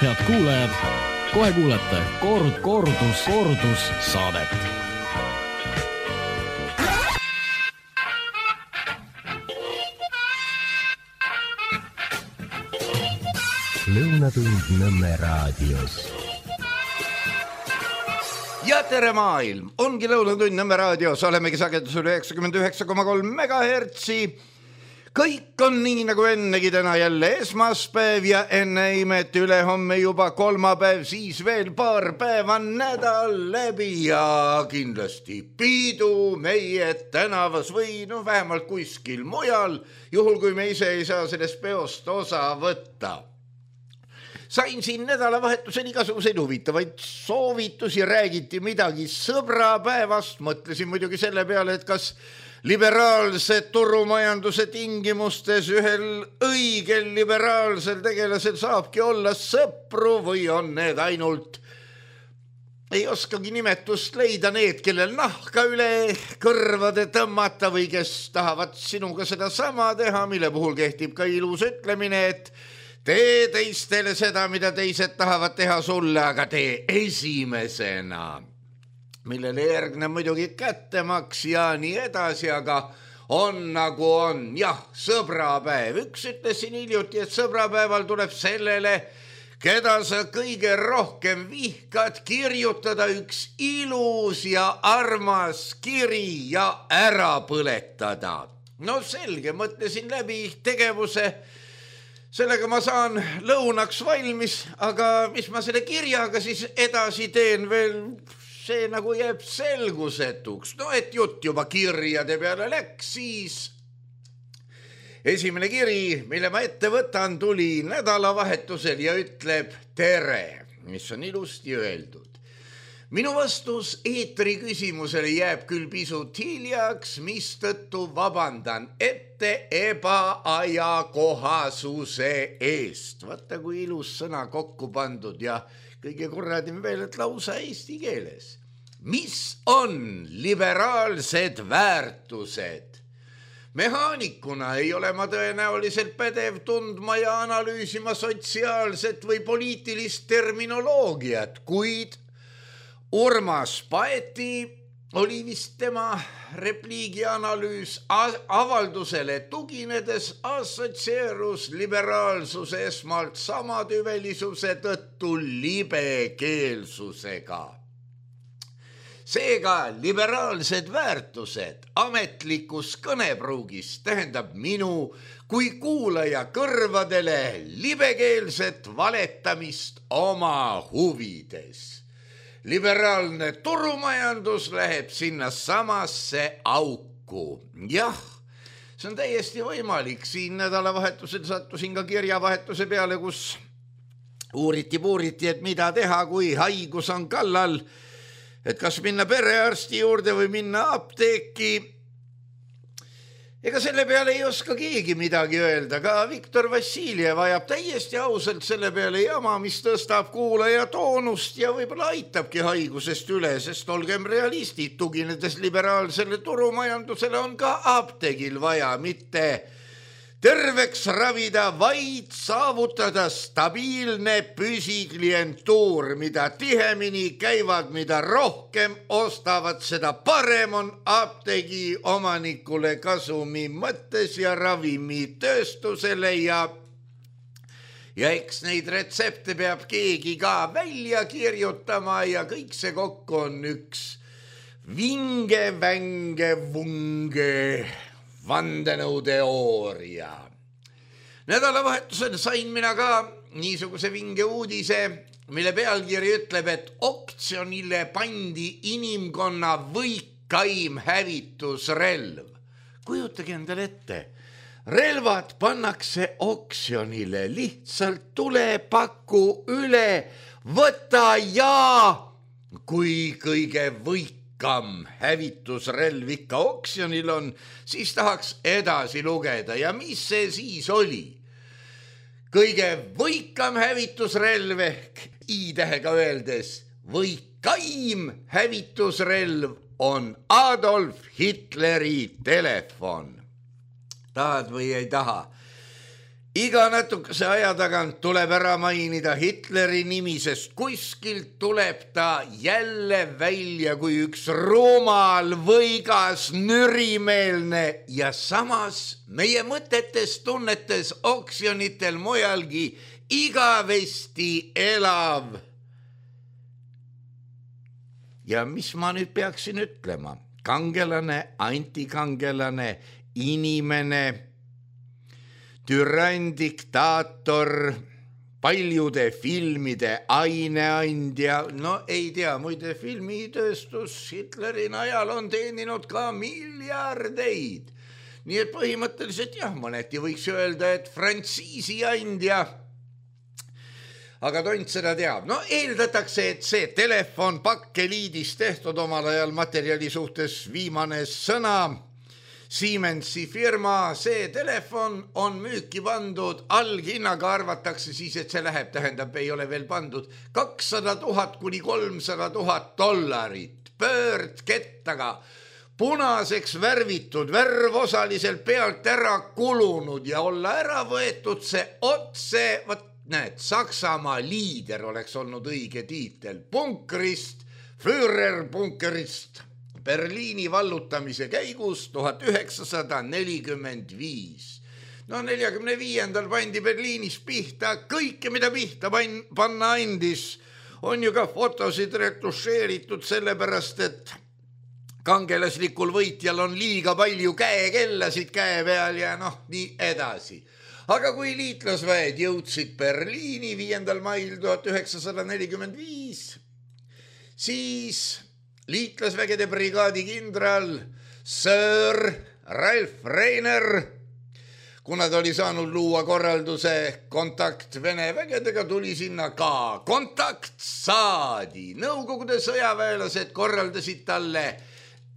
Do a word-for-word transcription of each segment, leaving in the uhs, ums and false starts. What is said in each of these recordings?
Head kuulajad, kohe kuulete kord, kordus, kordus saadet. Lõunatund Nõmme raadios. Ja tere maailm, ongi Lõunatund Nõmme raadios, olemegi sagedusel üheksakümmend üheksa koma kolm megahertsi. Kõik on nii nagu ennegi, täna jälle esmaspäev ja enne imeti üle homme juba kolmapäev, siis veel paar päeva nädal läbi ja kindlasti piidu meie tänavas või no vähemalt kuskil mujal, juhul kui me ise ei saa sellest peost osa võtta. Sain siin nädalavahetusel igasuguseid huvitavaid soovitusi, räägiti midagi sõbrapäevast, mõtlesin muidugi selle peale, et kas liberaalse turumajanduse tingimustes ühel õigel liberaalsel tegelasel saabki olla sõpru või on need ainult, ei oskagi nimetust leida, need, kellel nahka üle kõrvade tõmmata või kes tahavad sinuga seda sama teha, mille puhul kehtib ka ilus ütlemine, et tee teistele seda, mida teised tahavad teha sulle, aga tee esimesena, millele järgneb muidugi kättemaks ja nii edasi, aga on nagu on. Jah, sõbrapäev. Üks ütles siin hiljuti, et sõbrapäeval tuleb sellele, keda sa kõige rohkem vihkad, kirjutada üks ilus ja armas kiri ja ära põletada. No selge, mõtlesin läbi tegevuse. Sellega ma saan lõunaks valmis, aga mis ma selle kirjaga siis edasi teen veel, see nagu jääb selgusetuks. No et jutt juba kirjade peale läks, siis esimene kiri, mille ma ette võtan, tuli nädalavahetusel ja ütleb tere, mis on ilusti öeldud. Minu vastus eetri küsimusele jääb küll pisut hiljaks, mistõttu vabandan ette ebaajakohasuse eest. Vaata, kui ilus sõna kokku pandud ja kõige kurradim veel, et lausa eesti keeles. Mis on liberaalsed väärtused? Mehaanikuna ei ole ma tõenäoliselt pädev tundma ja analüüsima sotsiaalset või poliitilist terminoloogiat, kuid Urmas Paeti oli vist tema repliigi analüüs avaldusele tuginedes assotsieerus liberaalsuse esmalt samatüvelisuse tõttu libekeelsusega. Seega liberaalsed väärtused ametlikus kõnepruugis tähendab minu kui kuulaja kõrvadele libekeelset valetamist oma huvides. Liberaalne turumajandus läheb sinna samasse auku. Jah, see on täiesti võimalik. Siin nädalavahetusel sattusin ka kirjavahetuse peale, kus uuriti-puuriti, et mida teha, kui haigus on kallal, et kas minna perearsti juurde või minna apteeki. Ega selle peale ei oska keegi midagi öelda, ka Viktor Vassiljev ajab täiesti ausalt selle peale jama, mis tõstab kuulaja toonust ja võib-olla aitabki haigusest üle, sest olgem realistid, tuginedes liberaalsele turumajandusele on ka apteegil vaja mitte terveks ravida, vaid saavutada stabiilne püsiklientuur, mida tihemini käivad, mida rohkem ostavad, seda parem on apteegi omanikule kasumi mõttes ja ravimitööstusele ja ja eks neid retsepte peab keegi ka välja kirjutama ja kõik see kokku on üks vinge, vänge, vunge vandenõuteooria. Nädalavahetusel sain mina ka niisuguse vinge uudise, mille pealkiri ütleb, et oktsionile pandi inimkonna võikaim hävitusrelv. Kujutage endale ette, relvad pannakse oksjonile, lihtsalt tule paku üle, võta ja kui kõige võik kam hävitusrelv ikka oksjonil on, siis tahaks edasi lugeda. Ja mis see siis oli? Kõige võikam hävitusrelv ehk i-tähega öeldes võikaim hävitusrelv on Adolf Hitleri telefon. Tahad või ei taha? iga natukese aja tagant tuleb ära mainida Hitleri nimi, sest kuskilt tuleb ta jälle välja kui üks rumal, võigas, nürimeelne ja samas meie mõtetes, tunnetes, oksjonitel mujalgi igavesti elav. Ja mis ma nüüd peaksin ütlema? Kangelane, antikangelane, inimene, türann, diktaator, paljude filmide aineandja, no ei tea, muide filmitööstus Hitleri najal on teeninud ka miljardeid. Nii et põhimõtteliselt jah, mõneti võiks öelda, et frantsiisi andja, aga tont seda teab. No eeldatakse, et see telefon pakkeliidis tehtud omal ajal materjali suhtes viimane sõna, Siemensi firma, see telefon on müüki pandud, alghinnaga arvatakse siis, et see läheb, tähendab, ei ole veel pandud, kakssada tuhat kuni kolmsada tuhat dollarit, pöördkettaga, punaseks värvitud, värv osaliselt pealt ära kulunud ja olla ära võetud see otse, võt näed, Saksamaa liider oleks olnud õige tiitel, punkrist, Führer punkerist, Berliini vallutamise käigus tuhat üheksasada nelikümmend viis. No neljakümne viiendal pandi Berliinis pihta kõike, mida pihta panna andis. On ju ka fotosid retušeeritud sellepärast, et kangelaslikul võitjal on liiga palju käekellasid käe peal ja noh, nii edasi. Aga kui liitlasväed jõudsid Berliini viiendal mail tuhat üheksasada nelikümmend viis, siis liitlasvägede brigaadi kindral Sir Ralph Reiner, kuna ta oli saanud luua korralduse kontakt Vene vägedega, tuli sinna ka. Kontakt saadi. Nõukogude sõjaväelased korraldasid talle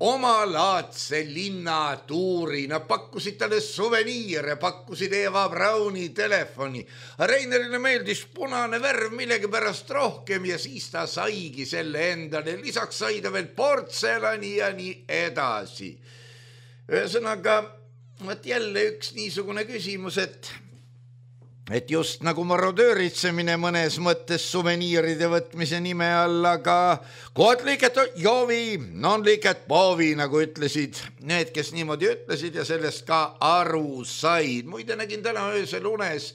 omalaadse linnatuuri. Nad pakkusid talle suveniire, pakkusid Eva Brauni telefoni. Reinerile meeldis punane värv millegi pärast rohkem ja siis ta saigi selle endale. Lisaks sai ta veel portselani ja nii edasi. Ühesõnaga, võt jälle üks niisugune küsimus, et et just nagu marodööritsemine mõnes mõttes suveniiride võtmise nime all, aga kod liiket jovi, non liiket povi, nagu ütlesid need, kes niimoodi ütlesid ja sellest ka aru said. Muide nägin täna öösel unes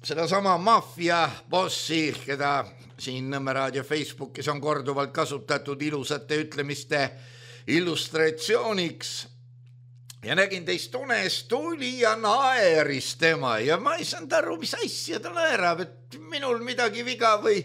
seda sama maffia bossi, keda siin Nõmme raadio Facebookis on korduvalt kasutatud ilusate ütlemiste illustratsiooniks. Ja nägin teist unes, tuli ja naeris tema ja ma ei saanud aru, mis asja ta naerab, et minul midagi viga või,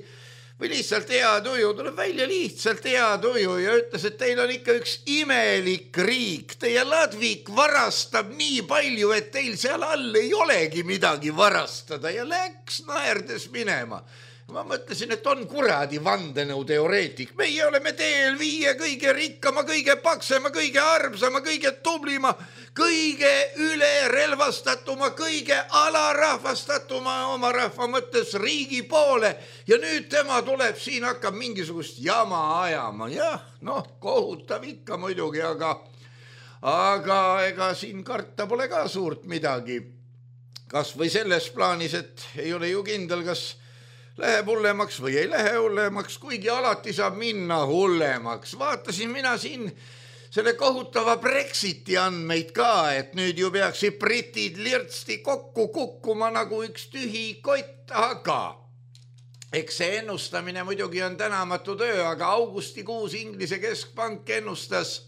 või lihtsalt hea tuju, tuleb välja lihtsalt hea tuju ja ütles, et teil on ikka üks imelik riik, teie Ladvik varastab nii palju, et teil seal all ei olegi midagi varastada ja läks naerdes minema. Ma mõtlesin, et on kuradi vandenõu teoreetik. Meie oleme teel viie kõige rikkama, kõige paksema, kõige armsama, kõige tublima, kõige üle relvastatuma, kõige alarahvastatuma oma rahva mõttes riigi poole. Ja nüüd tema tuleb siin, hakkab mingisugust jama ajama. Jah, noh, kohutav ikka muidugi, aga, aga ega siin karta pole ka suurt midagi. Kas või selles plaanis, et ei ole ju kindel, kas läheb hullemaks või ei lähe hullemaks, kuigi alati saab minna hullemaks. Vaatasin mina siin selle kohutava Brexiti andmeid ka, et nüüd ju peaksid britid lirtsti kokku kukkuma nagu üks tühi kott, aga eks see ennustamine muidugi on tänamatu töö, aga augustikuus Inglise keskpank ennustas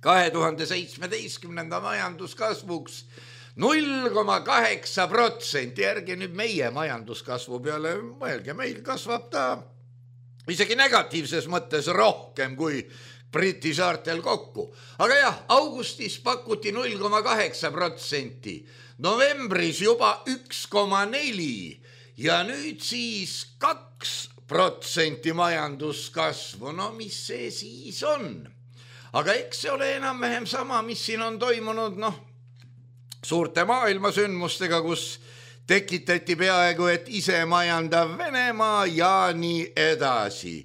kahe tuhande seitsmeteistkümnenda majanduskasvuks null koma kaheksa protsenti, järgi nüüd meie majanduskasvu peale mõelge, meil kasvab ta isegi negatiivses mõttes rohkem kui Briti saartel kokku. Aga jah, augustis pakuti null koma kaheksa protsenti, novembris juba üks koma neli ja nüüd siis kaks protsenti majanduskasvu. No mis see siis on? Aga eks see ole enam-vähem sama, mis siin on toimunud, noh, suurte maailmasündmustega, kus tekitati peaaegu, et ise majandav Venemaa ja nii edasi.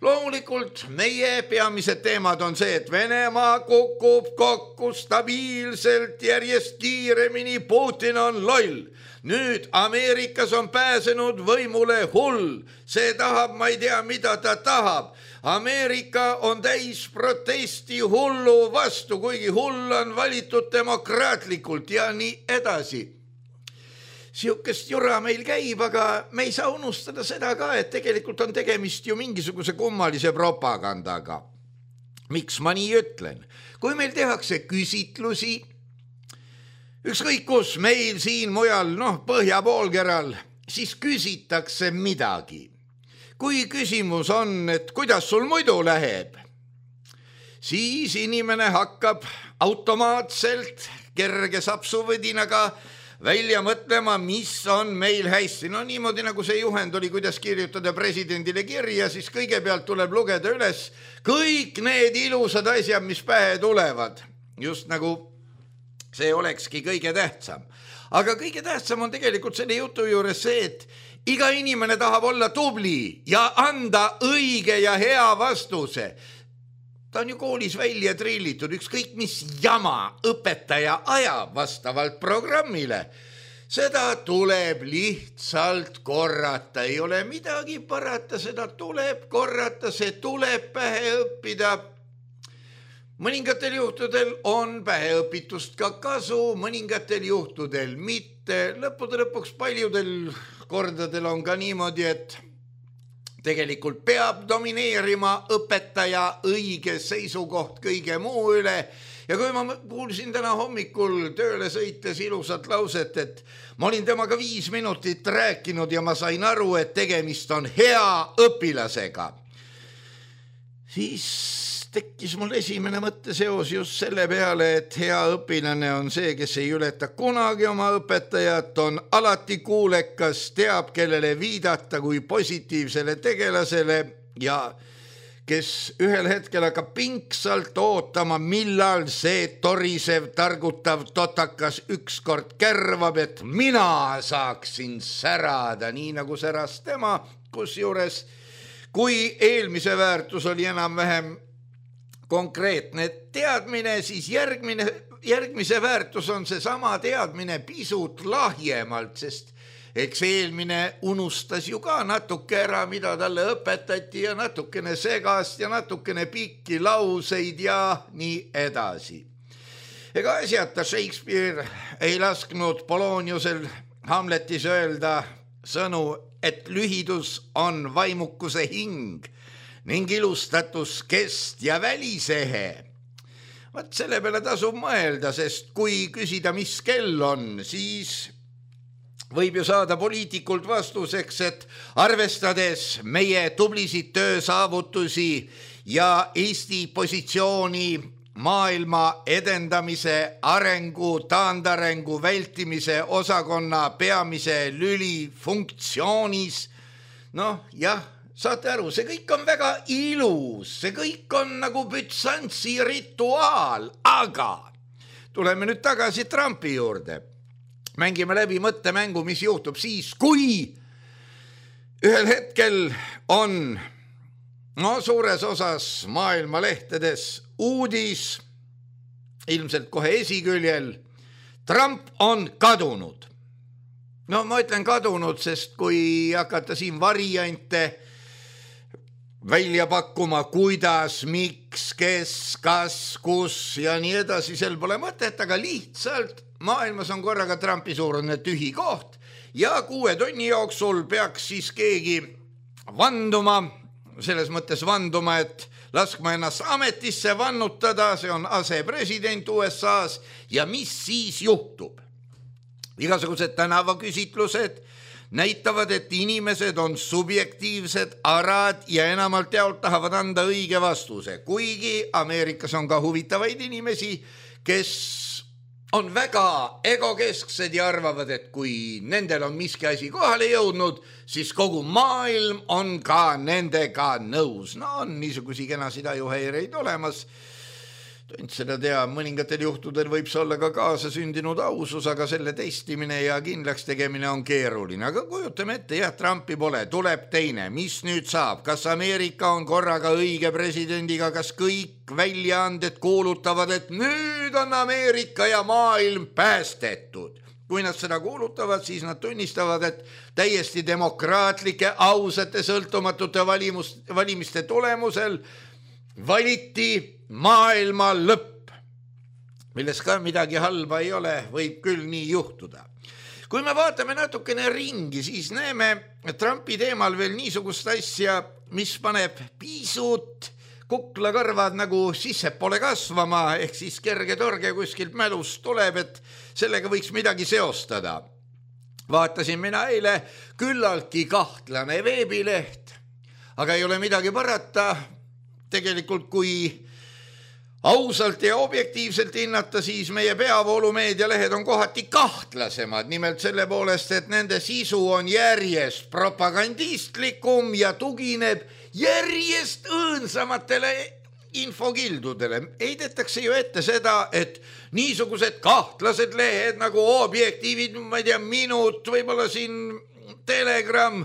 loomulikult meie peamised teemad on see, et Venemaa kukub kokku stabiilselt järjest kiiremini, Putin on loll. Nüüd Ameerikas on pääsenud võimule hull, see tahab, ma ei tea, mida ta tahab. Ameerika on täis protesti hullu vastu, kuigi hull on valitud demokraatlikult ja nii edasi. Siukest jura meil käib, aga me ei saa unustada seda ka, et tegelikult on tegemist ju mingisuguse kummalise propagandaga. Miks ma nii ütlen? Kui meil tehakse küsitlusi, ükskõik kus meil siin mujal, noh, põhjapoolkeral, siis küsitakse midagi. Kui küsimus on, et kuidas sul muidu läheb, siis inimene hakkab automaatselt kerge sapsuvõdinaga välja mõtlema, mis on meil hästi. No niimoodi nagu see juhend oli, kuidas kirjutada presidendile kirja, siis kõigepealt tuleb lugeda üles kõik need ilusad asjad, mis pähe tulevad. Just nagu see olekski kõige tähtsam. Aga kõige tähtsam on tegelikult selle jutu juures see, et iga inimene tahab olla tubli ja anda õige ja hea vastuse. Ta on ju koolis välja trillitud, ükskõik mis jama õpetaja ajab vastavalt programmile. Seda tuleb lihtsalt korrata, ei ole midagi parata, seda tuleb korrata, see tuleb pähe õppida. Mõningatel juhtudel on päheõpitust ka kasu, mõningatel juhtudel mitte. Lõppude lõpuks paljudel kordadel on ka niimoodi, et tegelikult peab domineerima õpetaja õige seisukoht kõige muu üle. Ja kui ma kuulsin täna hommikul tööle sõites ilusat lauset, et ma olin temaga viis minutit rääkinud ja ma sain aru, et tegemist on hea õpilasega, siis tekkis mul esimene mõtteseos just selle peale, et hea õpilane on see, kes ei ületa kunagi oma õpetajat, on alati kuulekas, teab, kellele viidata kui positiivsele tegelasele ja kes ühel hetkel hakkab pingsalt ootama, millal see torisev, targutav totakas ükskord kärvab, et mina saaksin särada, nii nagu säras tema, kusjuures kui eelmise väärtus oli enam-vähem konkreetne teadmine, siis järgmine, järgmise väärtus on see sama teadmine pisut lahjemalt, sest eks eelmine unustas ju ka natuke ära, mida talle õpetati ja natukene segast ja natukene pikki lauseid ja nii edasi. Ega asjata Shakespeare ei lasknud Poloniusel Hamletis öelda sõnu, et lühidus on vaimukuse hing ning ilustatus kest ja välisehe. Vaat selle peale tasub mõelda, sest kui küsida, mis kell on, siis võib ju saada poliitikult vastuseks, et arvestades meie tublisid töösaavutusi ja Eesti positsiooni maailma edendamise, arengu, taandarengu, vältimise osakonna peamise lüli funktsioonis, noh jah, saate aru, see kõik on väga ilus, see kõik on nagu Bütsantsi rituaal, aga tuleme nüüd tagasi Trumpi juurde. Mängime läbi mõttemängu, mis juhtub siis, kui ühel hetkel on no, suures osas maailma lehtedes uudis, ilmselt kohe esiküljel, Trump on kadunud. No ma ütlen kadunud, sest kui hakata siin variante välja pakkuma, kuidas, miks, kes, kas, kus ja nii edasi, sel pole mõtet, aga lihtsalt maailmas on korraga Trumpi suurune tühi koht ja kuue tunni jooksul peaks siis keegi vanduma, selles mõttes vanduma, et laskma ennast ametisse vannutada, see on asepresident U S A-s ja mis siis juhtub? Igasugused tänavaküsitlused näitavad, et inimesed on subjektiivsed arad ja enamalt jaolt tahavad anda õige vastuse, kuigi Ameerikas on ka huvitavaid inimesi, kes on väga egokesksed ja arvavad, et kui nendel on miski asi kohale jõudnud, siis kogu maailm on ka nendega nõus. No on niisugusi kenasid ajuhäireid olemas. Tont seda tea, mõningatel juhtudel võib see olla ka kaasasündinud ausus, aga selle testimine ja kindlaks tegemine on keeruline. Aga kujutame ette, jah, Trumpi pole, tuleb teine. Mis nüüd saab? Kas Ameerika on korraga õige presidendiga? Kas kõik väljaanded kuulutavad, et nüüd on Ameerika ja maailm päästetud? Kui nad seda kuulutavad, siis nad tunnistavad, et täiesti demokraatlike, ausate, sõltumatute valimus, valimiste tulemusel valiti maailma lõpp, milles ka midagi halba ei ole, võib küll nii juhtuda. Kui me vaatame natukene ringi, siis näeme Trumpi teemal veel niisugust asja, mis paneb pisut kuklakarvad nagu sissepoole kasvama, ehk siis kerge torge kuskilt mälust tuleb, et sellega võiks midagi seostada. Vaatasin mina eile küllaltki kahtlane veebileht, aga ei ole midagi parata. Tegelikult kui ausalt ja objektiivselt hinnata, siis meie peavoolumeedia lehed on kohati kahtlasemad, nimelt selle poolest, et nende sisu on järjest propagandistlikum ja tugineb järjest õõnsamatele infokildudele. Heidetakse ju ette seda, et niisugused kahtlased lehed nagu objektiivid, ma ei tea, minut, võib-olla siin Telegram,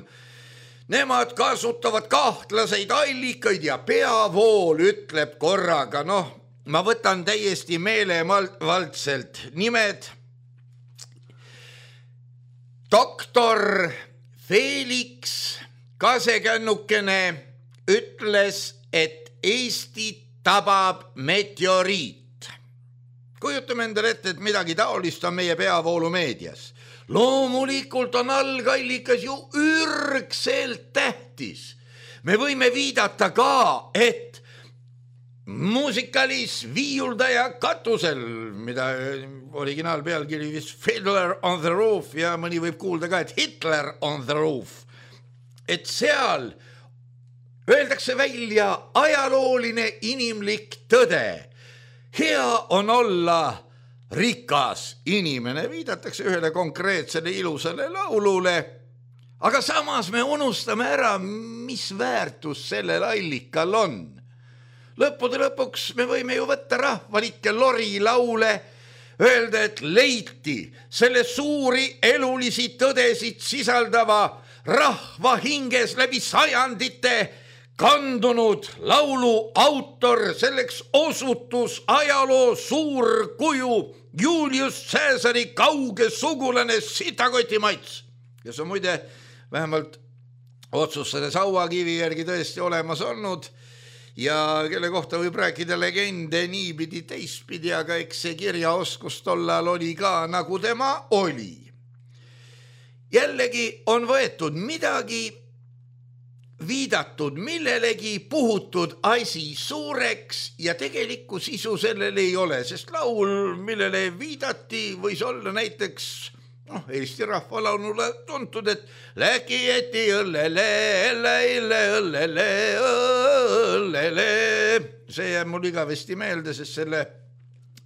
nemad kasutavad kahtlaseid allikaid ja peavool ütleb korraga, noh, ma võtan täiesti meelevaldselt nimed. Doktor Felix Kasekännukene ütles, et Eesti tabab meteoriit. Kujutame endale ette, et midagi taolist on meie peavoolumeedias. Loomulikult on algallikas ju ürgselt tähtis. Me võime viidata ka, et muusikalis viiuldaja katusel, mida originaalpealkiri vist Fiddler on the Roof ja mõni võib kuulda ka, et Hitler on the Roof. Et seal öeldakse välja ajalooline inimlik tõde. Hea on olla rikas inimene, viidatakse ühele konkreetsele ilusale laulule, aga samas me unustame ära, mis väärtus sellel allikal on. Lõppude lõpuks me võime ju võtta rahvalikke lori laule, öelda, et leiti selle suuri elulisi tõdesid sisaldava rahva hinges läbi sajandite kandunud laulu autor, selleks osutus ajaloo suur kuju Julius Caesari kauge sugulane Sitakotimats, kes on muide vähemalt otsustades hauakivi järgi tõesti olemas olnud ja kelle kohta võib rääkida legende niipidi teistpidi, aga eks see kirjaoskus tollal oli ka nagu tema oli. Jällegi on võetud midagi, viidatud millelegi, puhutud asi suureks ja tegelikku sisu sellel ei ole, sest laul, millele viidati, võis olla näiteks noh, Eesti rahvalaulule tuntud, et läki jäti õllele, õllele, õllele, õllele. See jääb mul igavesti meelde, sest selle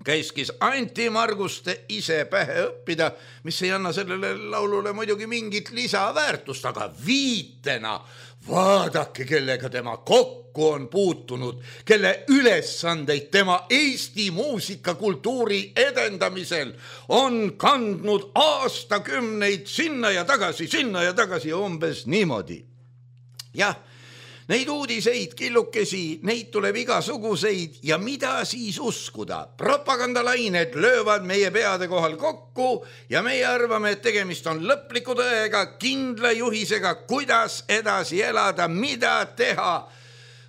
käiskis Anti Marguste ise pähe õppida, mis ei anna sellele laulule muidugi mingit lisaväärtust, aga viitena vaadake, kellega tema kokku on puutunud, kelle ülesandeid tema Eesti muusikakultuuri edendamisel on kandnud aastakümneid sinna ja tagasi, sinna ja tagasi umbes niimoodi. Jah, neid uudiseid, killukesi, neid tuleb igasuguseid ja mida siis uskuda? Propagandalained löövad meie peade kohal kokku ja meie arvame, et tegemist on lõpliku tõega, kindla juhisega, kuidas edasi elada, mida teha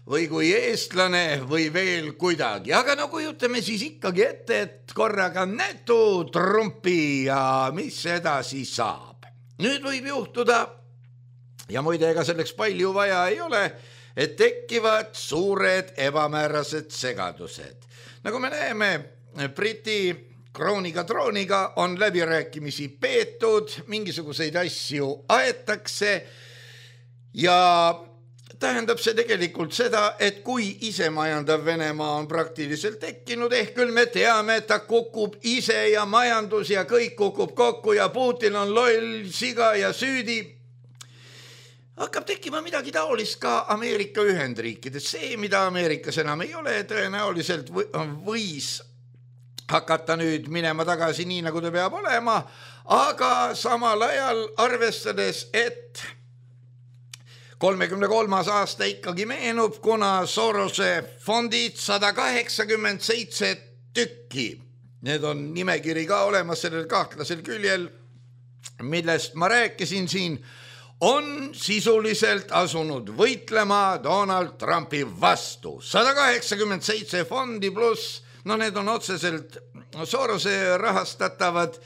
või kui eestlane või veel kuidagi. Aga no kujutame siis ikkagi ette, et korraga nätu Trumpi ja mis edasi saab. Nüüd võib juhtuda, ja muide, ega selleks palju vaja ei ole, et tekivad suured ebamäärased segadused. Nagu me näeme, Briti krooniga trooniga on läbirääkimisi peetud, mingisuguseid asju aetakse ja tähendab see tegelikult seda, et kui isemajandav Venemaa on praktiliselt tekkinud, ehk küll me teame, et ta kukub ise ja majandus ja kõik kukub kokku ja Putin on loll, siga ja süüdi. hakkab tekkima midagi taolist ka Ameerika Ühendriikides. See, mida Ameerikas enam ei ole, tõenäoliselt võis hakata nüüd minema tagasi nii, nagu ta peab olema, aga samal ajal arvestades, et kolmekümne kolmas aasta ikkagi meenub, kuna Sorose fondid sada kaheksakümmend seitse tükki. Need on nimekiri ka olemas sellel kahtlasel küljel, millest ma rääkisin siin, on sisuliselt asunud võitlema Donald Trumpi vastu. sada kaheksakümmend seitse fondi pluss, no need on otseselt Sorose rahastatavad,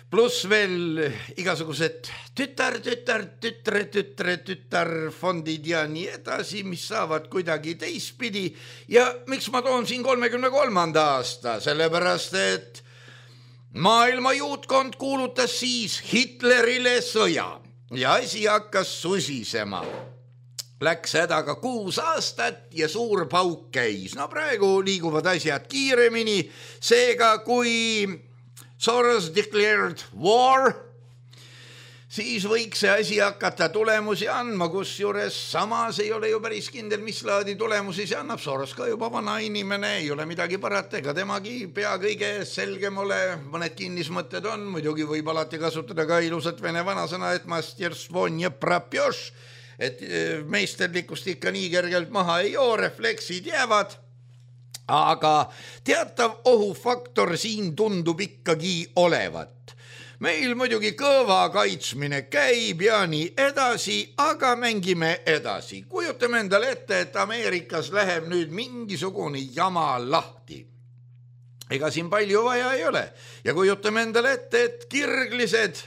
pluss veel igasugused tütar, tütar, tütre, tütre, tütar fondid ja nii edasi, mis saavad kuidagi teistpidi. Ja miks ma toon siin kolmekümne kolmanda aasta? Sellepärast, et maailma juutkond kuulutas siis Hitlerile sõja ja asi hakkas susisema. Läks hädaga kuus aastat ja suur pauk käis. No praegu liiguvad asjad kiiremini, seega kui Soros declared war, siis võiks see asi hakata tulemusi andma, kus juures samas ei ole ju päris kindel, mis laadi tulemusi see annab. Soros ka juba vana inimene, ei ole midagi parata, ega temagi pea kõige selgem ole, mõned kinnismõtted on, muidugi võib alati kasutada ka ilusat vene vanasõna, et masterstvom ne propješ, et meisterlikust ikka nii kergelt maha ei joo, refleksid jäävad. Aga teatav ohufaktor siin tundub ikkagi olevat. Meil muidugi kõva kaitsmine käib ja nii edasi, aga mängime edasi. Kujutame endale ette, et Ameerikas läheb nüüd mingisugune jama lahti. Ega siin palju vaja ei ole. Ja kujutame endale ette, et kirglised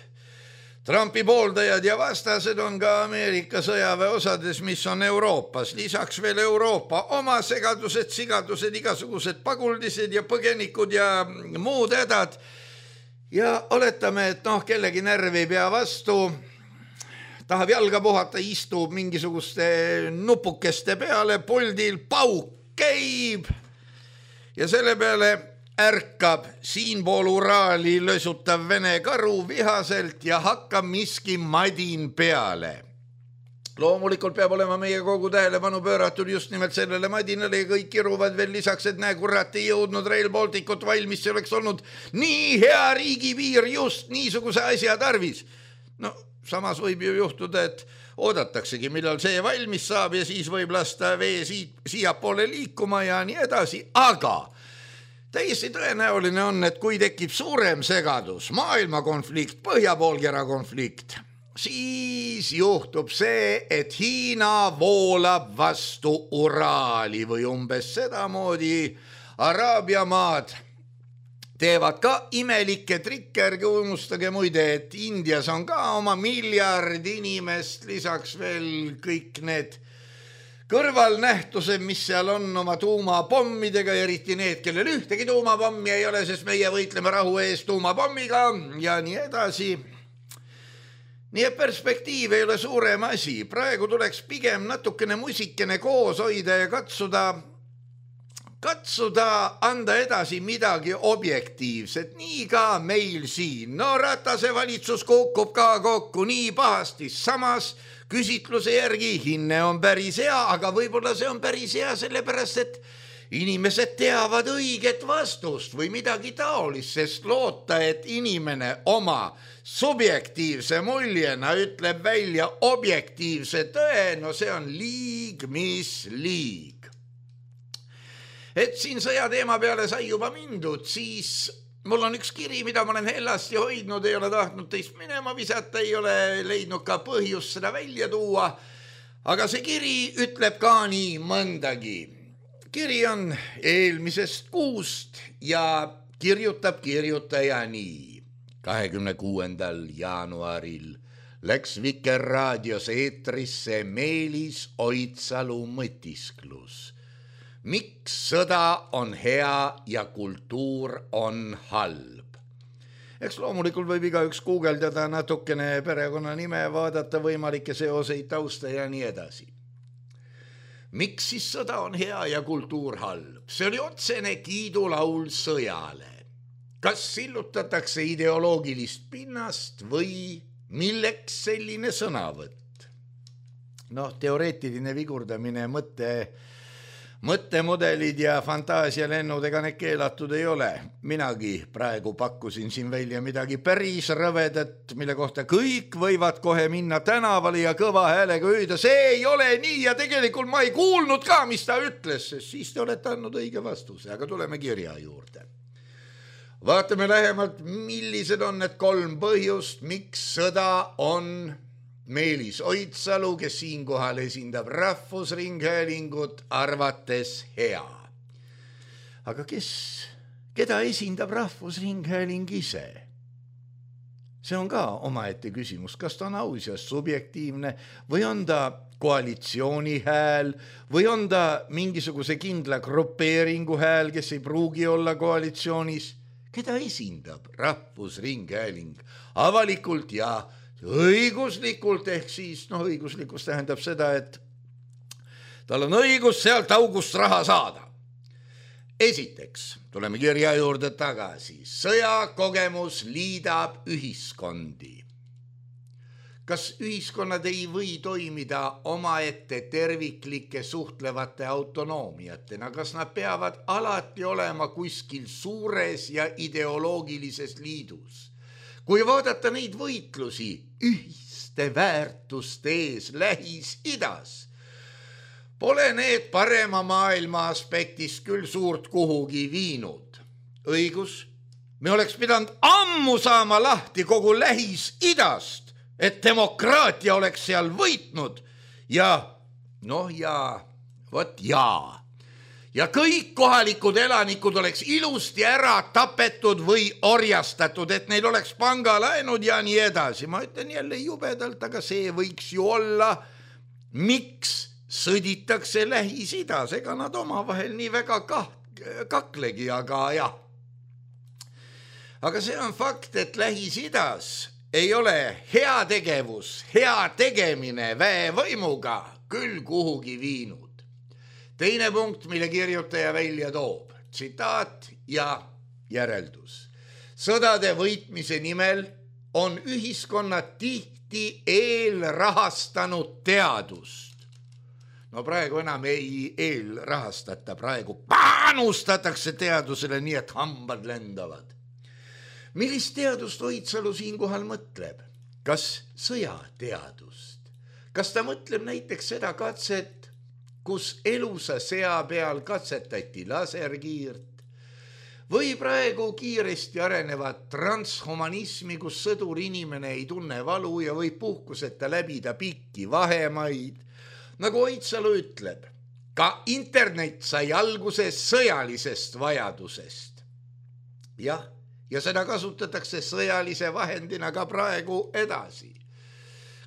Trumpi pooldajad ja vastased on ka Ameerika sõjaväe osades, mis on Euroopas. Lisaks veel Euroopa oma segadused, sigadused, igasugused paguldised ja põgenikud ja muud hädad. Ja oletame, et noh, kellegi närv ei pea vastu, tahab jalga puhata, istub mingisuguste nupukeste peale, poldil pauk käib ja selle peale ärkab siinpool Uraali lösutav vene karu vihaselt ja hakkab miski madin peale. Loomulikult peab olema meie kogu tähelepanu pööratud just nimelt sellele madinale ja kõik kiruvad veel lisaks, et näe, kurat ei jõudnud Rail Balticut valmis, see oleks olnud nii hea riigipiir just niisuguse asja tarvis. No samas võib ju juhtuda, et oodataksegi, millal see valmis saab ja siis võib lasta vee siia poole liikuma ja nii edasi, aga täiesti tõenäoline on, et kui tekib suurem segadus, maailmakonflikt, põhjapoolkera konflikt, siis juhtub see, et Hiina voolab vastu Uraali või umbes sedamoodi. Araabia maad teevad ka imelikke trikke, ärge unustage muide, et Indias on ka oma miljard inimest, lisaks veel kõik need kõrvalnähtused, mis seal on oma tuumapommidega, eriti need, kellel ühtegi tuumapommi ei ole, sest meie võitleme rahu eest tuumapommiga ja nii edasi. Nii et perspektiiv ei ole suurem asi. Praegu tuleks pigem natukene musikene koos hoida ja katsuda, katsuda anda edasi midagi objektiivset. Nii ka meil siin. No Ratase valitsus kukub ka kokku nii pahasti, samas küsitluse järgi hinne on päris hea, aga võib-olla see on päris hea sellepärast, et inimesed teavad õiget vastust või midagi taolist, sest loota, et inimene oma subjektiivse muljena ütleb välja objektiivse tõe, no see on liig, mis liig. Et siin sõja teema peale sai juba mindud, siis mul on üks kiri, mida ma olen hellasti hoidnud, ei ole tahtnud teist minema visata, ei ole leidnud ka põhjust seda välja tuua, aga see kiri ütleb ka nii mõndagi. Kiri on eelmisest kuust ja kirjutab kirjutaja nii. kahekümne kuuendal jaanuaril läks Vikerraadios eetrisse Meelis Oidsalu mõtisklus. Miks sõda on hea ja kultuur on halb? Eks loomulikult võib igaüks guugeldada natukene perekonna nime, vaadata võimalikke seoseid, tausta ja nii edasi. Miks siis sõda on hea ja kultuur halb? See oli otsene kiidulaul sõjale. Kas sillutatakse ideoloogilist pinnast või milleks selline sõnavõtt? noh, teoreetiline vigurdamine, mõtte, mõttemudelid ja fantaasialennud, ega need keelatud ei ole. Minagi praegu pakkusin siin välja midagi päris rõvedat, mille kohta kõik võivad kohe minna tänavale ja kõva häälega öelda, see ei ole nii ja tegelikult ma ei kuulnud ka, mis ta ütles, sest siis te olete andnud õige vastuse, aga tuleme kirja juurde. Vaatame lähemalt, millised on need kolm põhjust, miks sõda on Meelis Oidsalu, kes siinkohal esindab Rahvusringhäälingut, arvates hea. Aga kes, keda esindab Rahvusringhääling ise? See on ka omaette küsimus, kas ta on aus ja subjektiivne või on ta koalitsiooni hääl või on ta mingisuguse kindla grupeeringu hääl, kes ei pruugi olla koalitsioonis. Keda esindab Rahvusringhääling avalikult ja õiguslikult, ehk siis, noh, õiguslikus tähendab seda, et tal on õigus sealt august raha saada. Esiteks, tuleme kirja juurde tagasi, sõjakogemus liidab ühiskondi. Kas ühiskonnad ei või toimida omaette terviklike suhtlevate autonoomiatena? Kas nad peavad alati olema kuskil suures ja ideoloogilises liidus? Kui vaadata neid võitlusi ühiste väärtuste ees Lähis-Idas, pole need parema maailma aspektist küll suurt kuhugi viinud. Õigus, me oleks pidanud ammu saama lahti kogu Lähis-Idast, et demokraatia oleks seal võitnud ja noh ja vot jaa. Ja kõik kohalikud elanikud oleks ilusti ära tapetud või orjastatud, et neil oleks pangalaenud ja nii edasi. Ma ütlen jälle jubedalt, aga see võiks ju olla, miks sõditakse Lähis-Idas, ega nad omavahel nii väga kah- kaklegi, aga jah. Aga see on fakt, et Lähis-Idas ei ole hea tegevus, hea tegemine väevõimuga küll kuhugi viinud. Teine punkt, mille kirjutaja välja toob, tsitaat ja järeldus. Sõdade võitmise nimel on ühiskonnad tihti eelrahastanud teadust. No praegu enam ei eelrahastata, praegu panustatakse teadusele nii, et hambad lendavad. Millist teadust Oidsalu siinkohal mõtleb? Kas sõjateadust? Kas ta mõtleb näiteks seda katset, kus elusa sea peal katsetati laserkiirt? Või praegu kiiresti arenevat transhumanismi, kus sõdur inimene ei tunne valu ja võib puhkuseta läbida pikki vahemaid? Nagu Oidsalu ütleb, ka internet sai alguse sõjalisest vajadusest. Jah, ja seda kasutatakse sõjalise vahendina ka praegu edasi.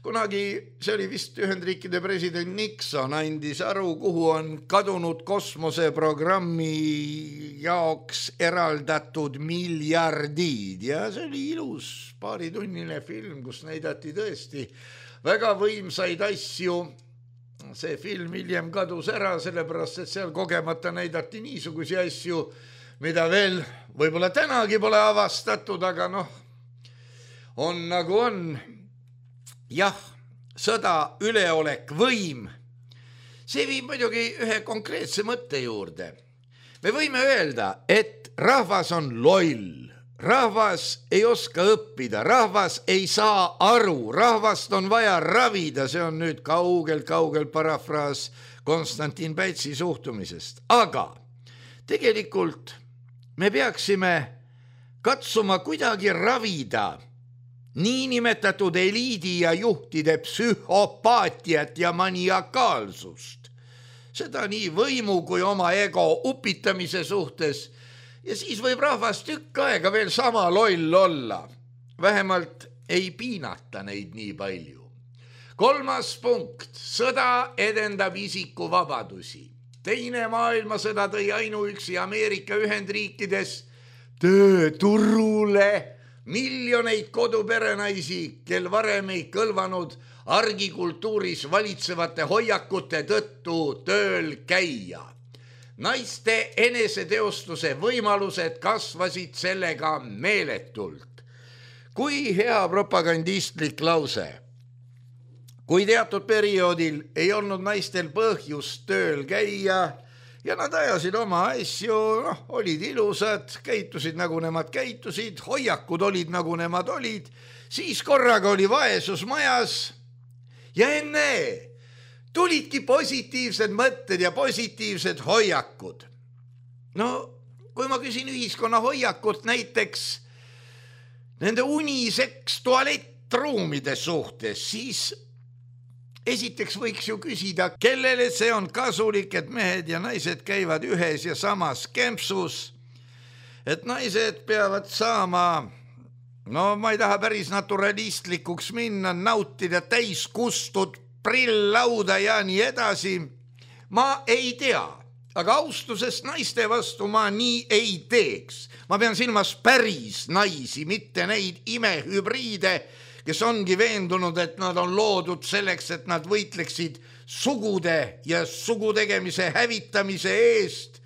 Kunagi, see oli vist Ühendriikide president Nixon, andis aru, kuhu on kadunud kosmoseprogrammi jaoks eraldatud miljardid. Ja see oli ilus paaritunnine film, kus näidati tõesti väga võimsaid asju. See film hiljem kadus ära, sellepärast, et seal kogemata näidati niisugusi asju, mida veel võib-olla tänagi pole avastatud, aga noh, on nagu on. Jah, sõda, üleolek, võim. See viib muidugi ühe konkreetse mõtte juurde. Me võime öelda, et rahvas on loll, rahvas ei oska õppida, rahvas ei saa aru, rahvast on vaja ravida, see on nüüd kaugel-kaugel parafraas Konstantin Päitsi suhtumisest. Aga tegelikult me peaksime katsuma kuidagi ravida niinimetatud eliidi ja juhtide psühhopaatiat ja maniakaalsust. Seda nii võimu kui oma ego upitamise suhtes ja siis võib rahvas tükk aega veel sama loll olla. Vähemalt ei piinata neid nii palju. Kolmas punkt, sõda edendab isiku vabadusi. Teine maailmasõda tõi ainuüksi Ameerika Ühendriikides tööturule miljoneid koduperenaisi, kel varem ei kõlvanud argikultuuris valitsevate hoiakute tõttu tööl käia. Naiste eneseteostuse võimalused kasvasid sellega meeletult. Kui hea propagandistlik lause. kui teatud perioodil ei olnud naistel põhjust tööl käia ja nad ajasid oma asju, noh, olid ilusad, käitusid nagu nemad käitusid, hoiakud olid nagu nemad olid, siis korraga oli vaesus majas ja enne tulidki positiivsed mõtted ja positiivsed hoiakud. No, kui ma küsin ühiskonna hoiakut näiteks nende uniseks tualettruumide suhtes, siis esiteks võiks ju küsida, kellele see on kasulik, et mehed ja naised käivad ühes ja samas kempsus, et naised peavad saama, no ma ei taha päris naturalistlikuks minna, nautida täiskustud prilllauda ja nii edasi. Ma ei tea. Aga austusest naiste vastu ma nii ei teeks. Ma pean silmas päris naisi, mitte neid imehübriide, kes ongi veendunud, et nad on loodud selleks, et nad võitleksid sugude ja sugutegemise hävitamise eest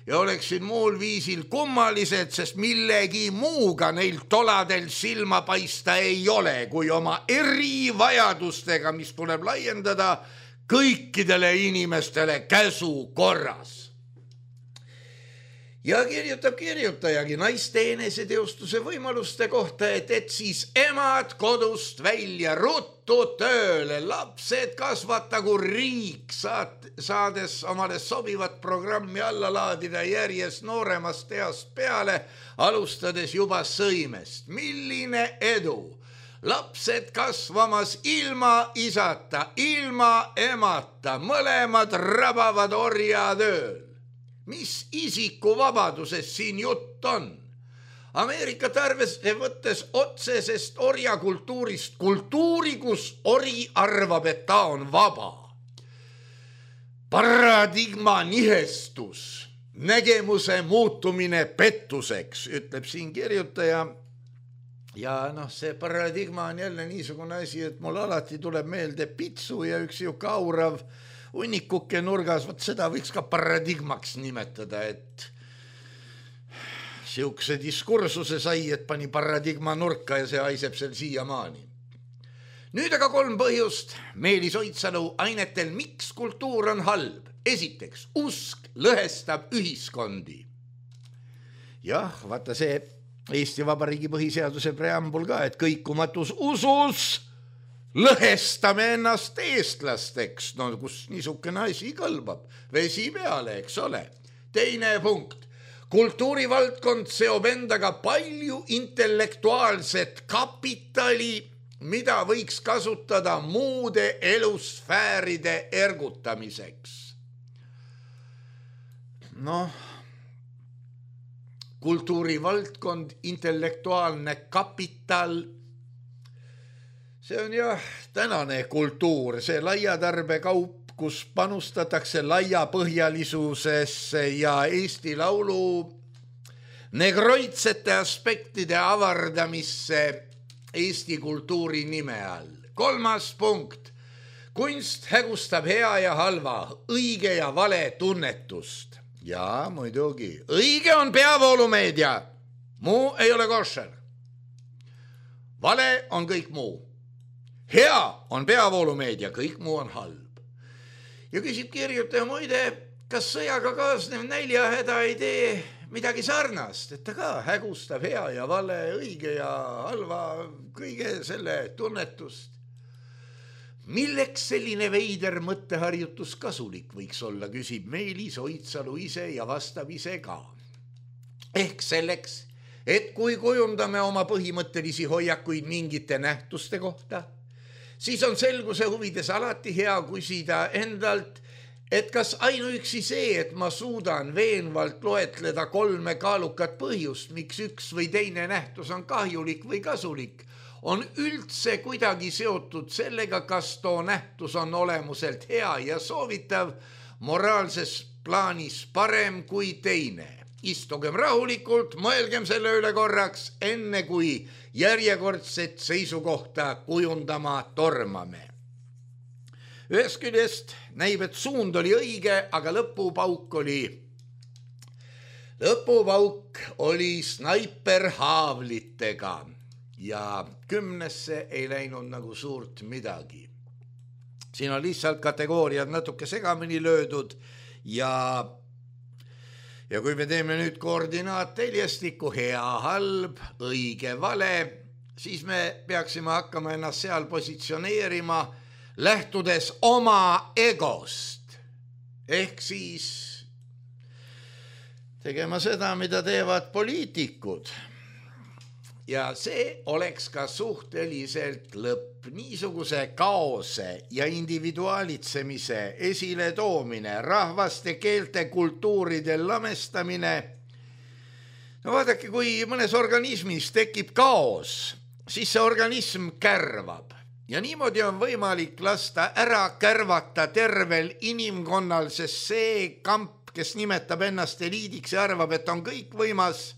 ja oleksid muul viisil kummalised, sest millegi muuga neil toladel silma paista ei ole, kui oma erivajadustega, mis tuleb laiendada kõikidele inimestele käsu korras. Ja kirjutab kirjutajagi naiste eneseteostuse võimaluste kohta, et, et siis emad kodust välja ruttu tööle, lapsed kasvatagu riik, saat, saades omale sobivat programmi alla laadida järjest nooremast east peale, alustades juba sõimest. Milline edu! Lapsed kasvamas ilma isata, ilma emata, mõlemad rabavad orjatööl. Mis isikuvabadusest siin jutt on? Ameerikat arvesse võttes otsesest orjakultuurist, kultuuri, kus ori arvab, et ta on vaba. Paradigma nihestus, nägemuse muutumine pettuseks, ütleb siin kirjutaja. Ja noh, see paradigma on jälle niisugune asi, et mul alati tuleb meelde pitsu ja üks juhka aurav unnikuke nurgas, võt seda võiks ka paradigmaks nimetada, et siukse diskursuse sai, et pani paradigma nurka ja see haiseb seal siiamaani. Nüüd aga kolm põhjust Meelis Oidsalu ainetel, miks kultuur on halb. Esiteks, usk lõhestab ühiskondi. Jah, vaata see Eesti Vabariigi põhiseaduse preambul ka, et kõikumatus usus lõhestame ennast eestlasteks, no kus niisugune asi kõlbab, vesi peale, eks ole. Teine punkt, kultuurivaldkond seob endaga palju intellektuaalset kapitali, mida võiks kasutada muude elusfääride ergutamiseks. Noh, kultuurivaldkond, intellektuaalne kapital, see on jah tänane kultuur, see laiatarbekaup, kus panustatakse laiapõhjalisusesse ja Eesti Laulu negroitsete aspektide avardamisse Eesti kultuuri nime all. Kolmas punkt, kunst hägustab hea ja halva, õige ja vale tunnetust. Ja muidugi, õige on peavoolumeedia, muu ei ole košer. Vale on kõik muu. Hea on peavoolumeedia, kõik muu on halb. Ja küsib kirjutaja, muide, kas sõjaga kaasnev näljahäda ei tee midagi sarnast, et ta ka hägustab hea ja vale, õige ja halva, kõige selle tunnetust. Milleks selline veider mõtteharjutus kasulik võiks olla, küsib Meelis Oidsalu ise ja vastab ise ka. Ehk selleks, et kui kujundame oma põhimõttelisi hoiakuid mingite nähtuste kohta, siis on selguse huvides alati hea küsida endalt, et kas ainuüksi see, et ma suudan veenvalt loetleda kolme kaalukat põhjust, miks üks või teine nähtus on kahjulik või kasulik, on üldse kuidagi seotud sellega, kas too nähtus on olemuselt hea ja soovitav, moraalses plaanis parem kui teine. Istugem rahulikult, mõelgem selle üle korraks, enne kui järjekordset seisukohta kujundama tormame. Ühest küljest näib, et suund oli õige, aga lõpupauk oli, lõpupauk oli snaiperhaavlitega. Ja kümnesse ei läinud nagu suurt midagi. siin on lihtsalt kategooriad natuke segamini löödud ja ja kui me teeme nüüd koordinaatteljestiku hea, halb, õige, vale, siis me peaksime hakkama ennast seal positsioneerima lähtudes oma egost. Ehk siis tegema seda, mida teevad poliitikud. Ja see oleks ka suhteliselt lõpp. Niisuguse kaose ja individualitsemise esile toomine, rahvaste, keelte, kultuuride lamestamine. No vaadake, kui mõnes organismis tekib kaos, siis see organism kärvab. Ja niimoodi on võimalik lasta ära kärvata tervel inimkonnal, sest see kamp, kes nimetab ennast eliidiks ja arvab, et on kõik võimas,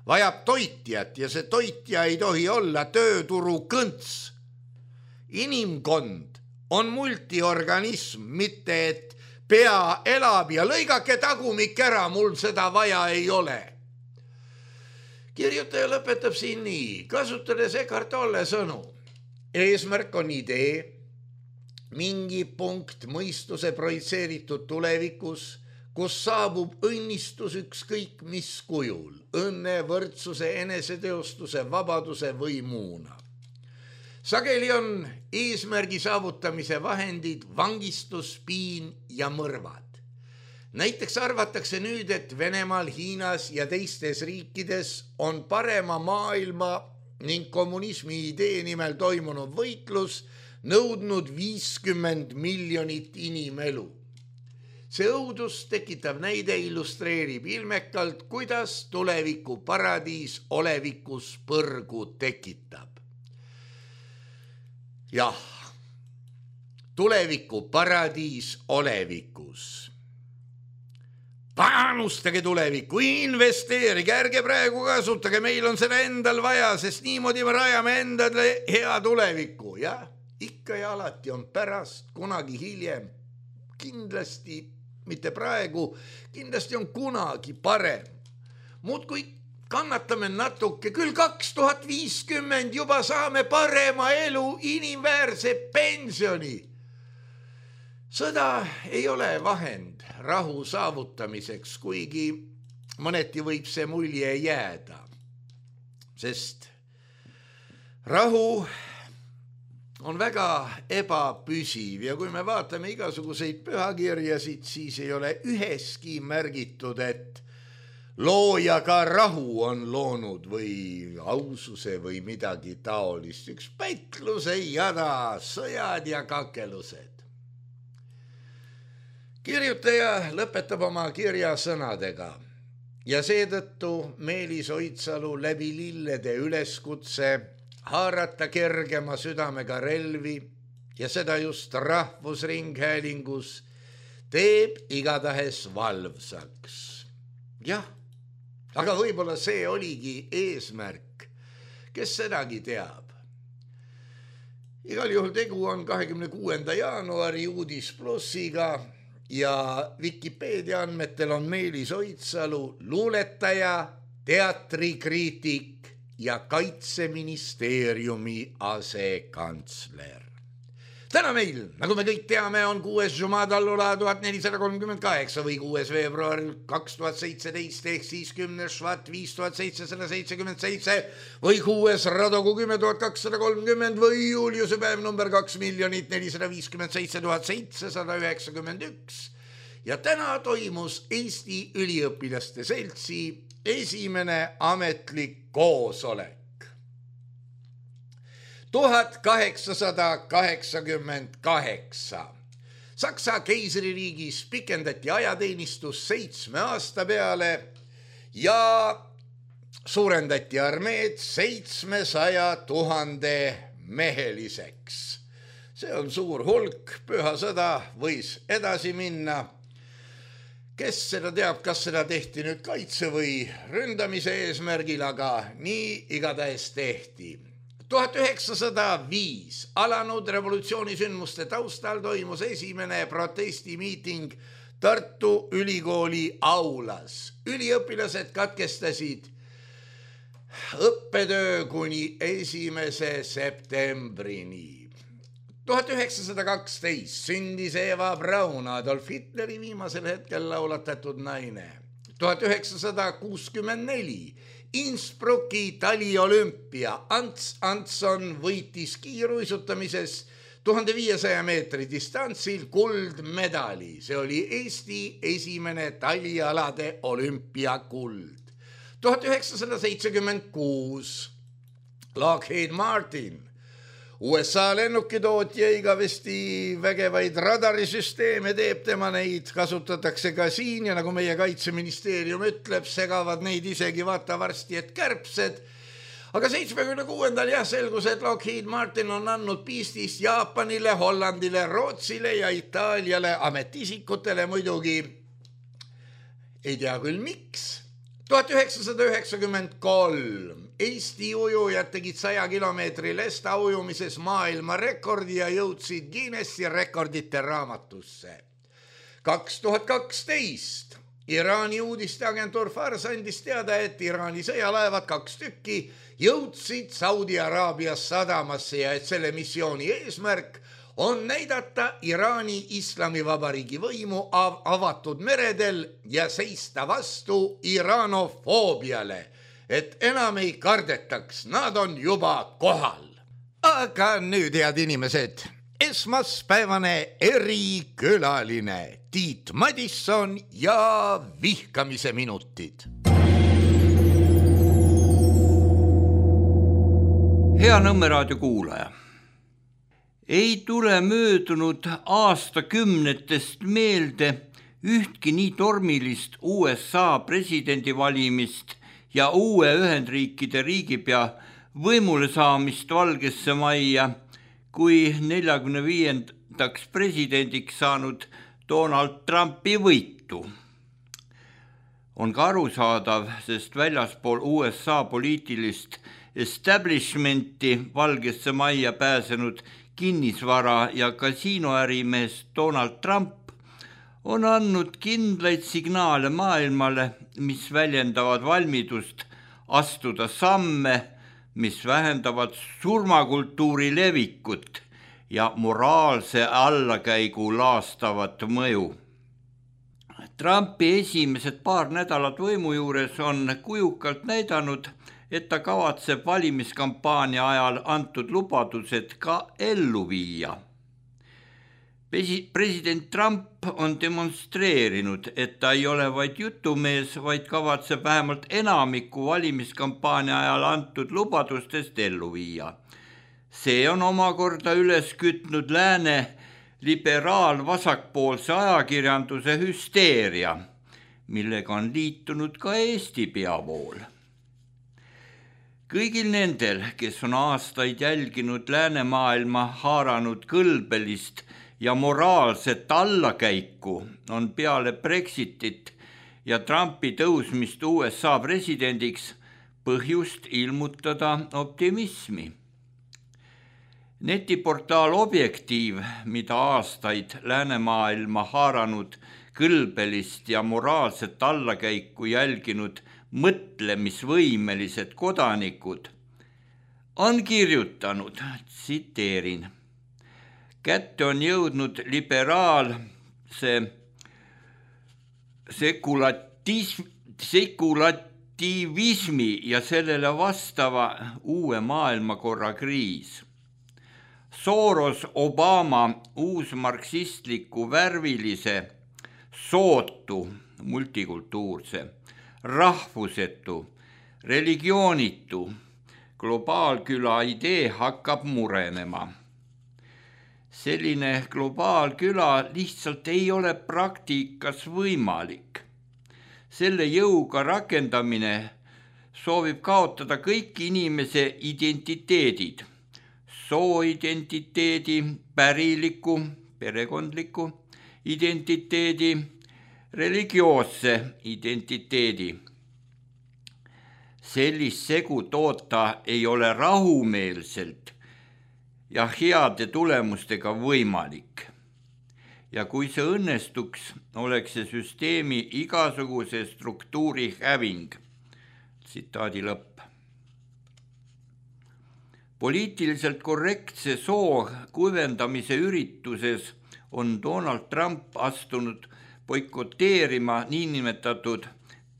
vajab toitjat ja see toitja ei tohi olla tööturu kõnts. Inimkond on multiorganism, mitte et pea elab ja lõigake tagumik ära, mul seda vaja ei ole. Kirjutaja lõpetab siin nii, kasutades Eckhart Tolle sõnu. Eesmärk on idee, mingi punkt mõistuse projitseeritud tulevikus, kus saabub õnnistus ükskõik mis kujul, õnne, võrdsuse, eneseteostuse, vabaduse või muuna. Sageli on eesmärgi saavutamise vahendid vangistus, piin ja mõrvad. Näiteks arvatakse nüüd, et Venemaal, Hiinas ja teistes riikides on parema maailma ning kommunismi idee nimel toimunud võitlus nõudnud viiskümmend miljonit inimelu. See õudus tekitav näide illustreerib ilmekalt, kuidas tuleviku paradiis olevikus põrgu tekitab. Jah, tuleviku paradiis olevikus. Panustage tulevikku, investeerige, ärge praegu kasutage, meil on seda endal vaja, sest niimoodi me rajame endale hea tulevikku. Ja ikka ja alati on pärast, kunagi hiljem, kindlasti, mitte praegu, kindlasti on kunagi parem. Muud kui kannatame natuke, küll kaks tuhat viiskümmend juba saame parema elu, inimväärse pensioni. Sõda ei ole vahend rahu saavutamiseks, kuigi mõneti võib see mulje jääda. Sest rahu on väga ebapüsiv ja kui me vaatame igasuguseid pühakirjasid, siis ei ole üheski märgitud, et looja ka rahu on loonud või aususe või midagi taolist. Üks pätluse jada, sõjad ja kakelused. Kirjutaja lõpetab oma kirja sõnadega ja seetõttu Meelis Oidsalu läbi lillede üleskutse haarata kergema südamega relvi ja seda just rahvusringhäälingus teeb igatahes valvsaks. Jah, aga võib-olla see oligi eesmärk, kes sedagi teab. Igal juhul tegu on kahekümne kuuenda jaanuari uudis plussiga ja Wikipedia andmetel on Meelis Oidsalu luuletaja, teatrikriitik ja Kaitseministeeriumi asekantsler. Täna meil, nagu me kõik teame, on kuues Jumadallula tuhat nelisada kolmkümmend kaheksa või kuues veebruar kaks tuhat seitseteist ehk siis kümnes Švat viis tuhat seitsesada seitsekümmend seitse või kuues Radogu kümme tuhat kakssada kolmkümmend või Juliuse päev number kaks miljonit nelisada viiskümmend seitse tuhat seitsesada üheksakümmend üks. Ja täna toimus Eesti Üliõpilaste Seltsi esimene ametlik koosolek. tuhat kaheksasada kaheksakümmend kaheksa. Saksa keisririigis pikendati ajateenistus seitsme aasta peale ja suurendati armeed seitsmesaja tuhande meheliseks. See on suur hulk, püha sõda võis edasi minna. Kes seda teab, kas seda tehti nüüd kaitse või ründamise eesmärgil, aga nii igatahes tehti. tuhat üheksasada viis alanud revolutsioonisündmuste taustal toimus esimene protestimiiting Tartu Ülikooli aulas. Üliõpilased katkestasid õppetöö kuni esimese septembrini. tuhat üheksasada kaksteist sündis Eva Braun, Adolf Hitleri viimasel hetkel laulatatud naine. tuhat üheksasada kuuskümmend neli Innsbrucki taliolümpia. Ants Antson võitis kiiruisutamises tuhande viiesaja meetri distantsil kuldmedali. See oli Eesti esimene talialade olümpiakuld. tuhat üheksasada seitsekümmend kuus Lockheed Martin, U S A lennukitootja, igavesti vägevaid radarisüsteeme teeb, tema neid kasutatakse ka siin ja nagu meie kaitseministeerium ütleb, segavad neid isegi vaata varsti, et kärbsed. Aga seitsmekümne kuuendal jah selgus, et Lockheed Martin on andnud piistist Jaapanile, Hollandile, Rootsile ja Itaaliale ametiisikutele muidugi. Ei tea küll miks. tuhat üheksasada üheksakümmend kolm Eesti ujujad tegid saja kilomeetri lesta ujumises maailma rekordi ja jõudsid Guinessi rekordite raamatusse. kaks tuhat kaksteist Iraani uudisteagentuur Fars andis teada, et Iraani sõjalaevad kaks tükki jõudsid Saudi Araabias sadamasse ja et selle missiooni eesmärk on näidata Iraani Islamivabariigi võimu av- avatud meredel ja seista vastu iranofoobiale, et enam ei kardetaks, nad on juba kohal. Aga nüüd, head inimesed, esmaspäevane erikülaline Tiit Madisson ja vihkamise minutid. Hea Nõmme raadio kuulaja. Ei tule möödunud aastakümnetest meelde ühtki nii tormilist U S A presidendivalimist ja uue Ühendriikide riigipea võimule saamist Valgesse Majja, kui neljakümne viiendaks presidendiks saanud Donald Trumpi võitu. On ka arusaadav, sest väljaspool U S A poliitilist establishmenti Valgesse Majja pääsenud kinnisvara- ja kasiinoärimees Donald Trump on andnud kindlaid signaale maailmale, mis väljendavad valmidust astuda samme, mis vähendavad surmakultuuri levikut ja moraalse allakäigu laastavat mõju. Trumpi esimesed paar nädalat võimu juures on kujukalt näidanud, et ta kavatseb valimiskampaania ajal antud lubadused ka ellu viia. President Trump on demonstreerinud, et ta ei ole vaid jutumees, vaid kavatseb vähemalt enamiku valimiskampaania ajal antud lubadustest ellu viia. See on omakorda üles kütnud lääne liberaal-vasakpoolse ajakirjanduse hüsteeria, millega on liitunud ka Eesti peavool. Kõigil nendel, kes on aastaid jälginud läänemaailma haaranud kõlbelist ja moraalset allakäiku, on peale Brexitit ja Trumpi tõusmist U S A presidendiks põhjust ilmutada optimismi. Netiportaal Objektiiv, mida aastaid läänemaailma haaranud kõlbelist ja moraalset allakäiku jälginud mõtlemisvõimelised kodanikud, on kirjutanud, tsiteerin, kätte on jõudnud liberaalse sekulatism, sekulativismi ja sellele vastava uue maailmakorra kriis. Soros Obama uusmarksistliku värvilise, sootu, multikultuurse, rahvusetu, religioonitu, globaalküla idee hakkab murenema. Selline globaalküla lihtsalt ei ole praktikas võimalik. Selle jõuga rakendamine soovib kaotada kõik inimese identiteedid, sooidentiteedi, päriliku, perekondliku identiteedi, religioosse identiteedi. Sellist segu toota ei ole rahumeelselt ja heade tulemustega võimalik. Ja kui see õnnestuks, oleks see süsteemi igasuguse struktuuri häving. Tsitaadi lõpp. Poliitiliselt korrektse soo kuivendamise ürituses on Donald Trump astunud boikoteerima niinimetatud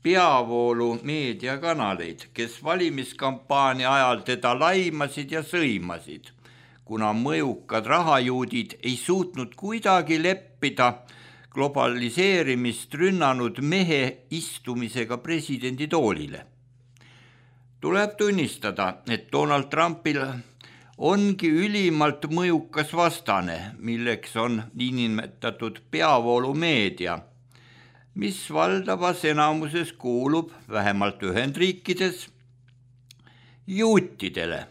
peavoolu meediakanaleid, kes valimiskampaania ajal teda laimasid ja sõimasid, kuna mõjukad rahajuudid ei suutnud kuidagi leppida globaliseerimist rünnanud mehe istumisega presidendi toolile. Tuleb tunnistada, et Donald Trumpil ongi ülimalt mõjukas vastane, milleks on niinimetatud peavoolumeedia, mis valdavas enamuses kuulub vähemalt Ühendriikides juutidele.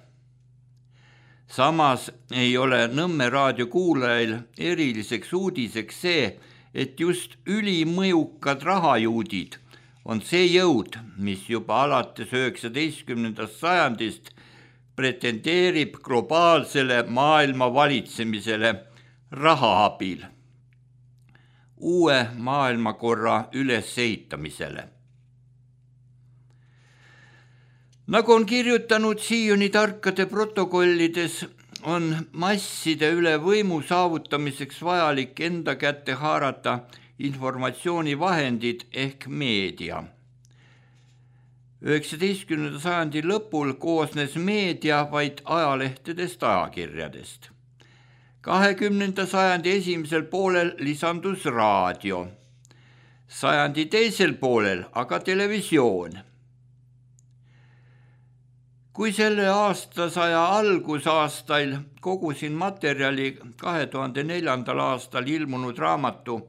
Samas ei ole Nõmme raadio kuulajail eriliseks uudiseks see, et just ülimõjukad rahajuudid on see jõud, mis juba alates üheksateistkümnendast sajandist pretendeerib globaalsele maailma valitsemisele raha abil, uue maailmakorra ülesehitamisele. Nagu on kirjutanud Sioni tarkade protokollides, on masside üle võimu saavutamiseks vajalik enda kätte haarata informatsioonivahendid ehk meedia. üheksateistkümnenda sajandi lõpul koosnes meedia vaid ajalehtedest ajakirjadest. kahekümnenda sajandi esimesel poolel lisandus raadio, sajandi teisel poolel aga televisioon. Kui selle aastasaja algusaastail kogusin materjali kahe tuhande neljandal aastal ilmunud raamatu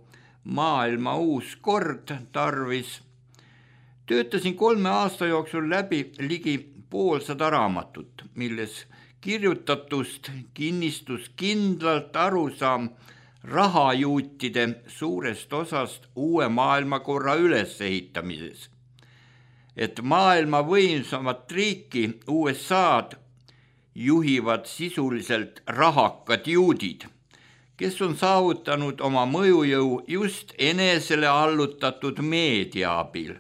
Maailma uus kord tarvis, töötasin kolme aasta jooksul läbi ligi poolsada raamatut, milles kirjutatust kinnistus kindlalt arusaam rahajuutide suurest osast uue maailmakorra ülesehitamises, et maailma võimsamat riiki U S A-d juhivad sisuliselt rahakad juudid, kes on saavutanud oma mõjujõu just enesele allutatud meedia abil.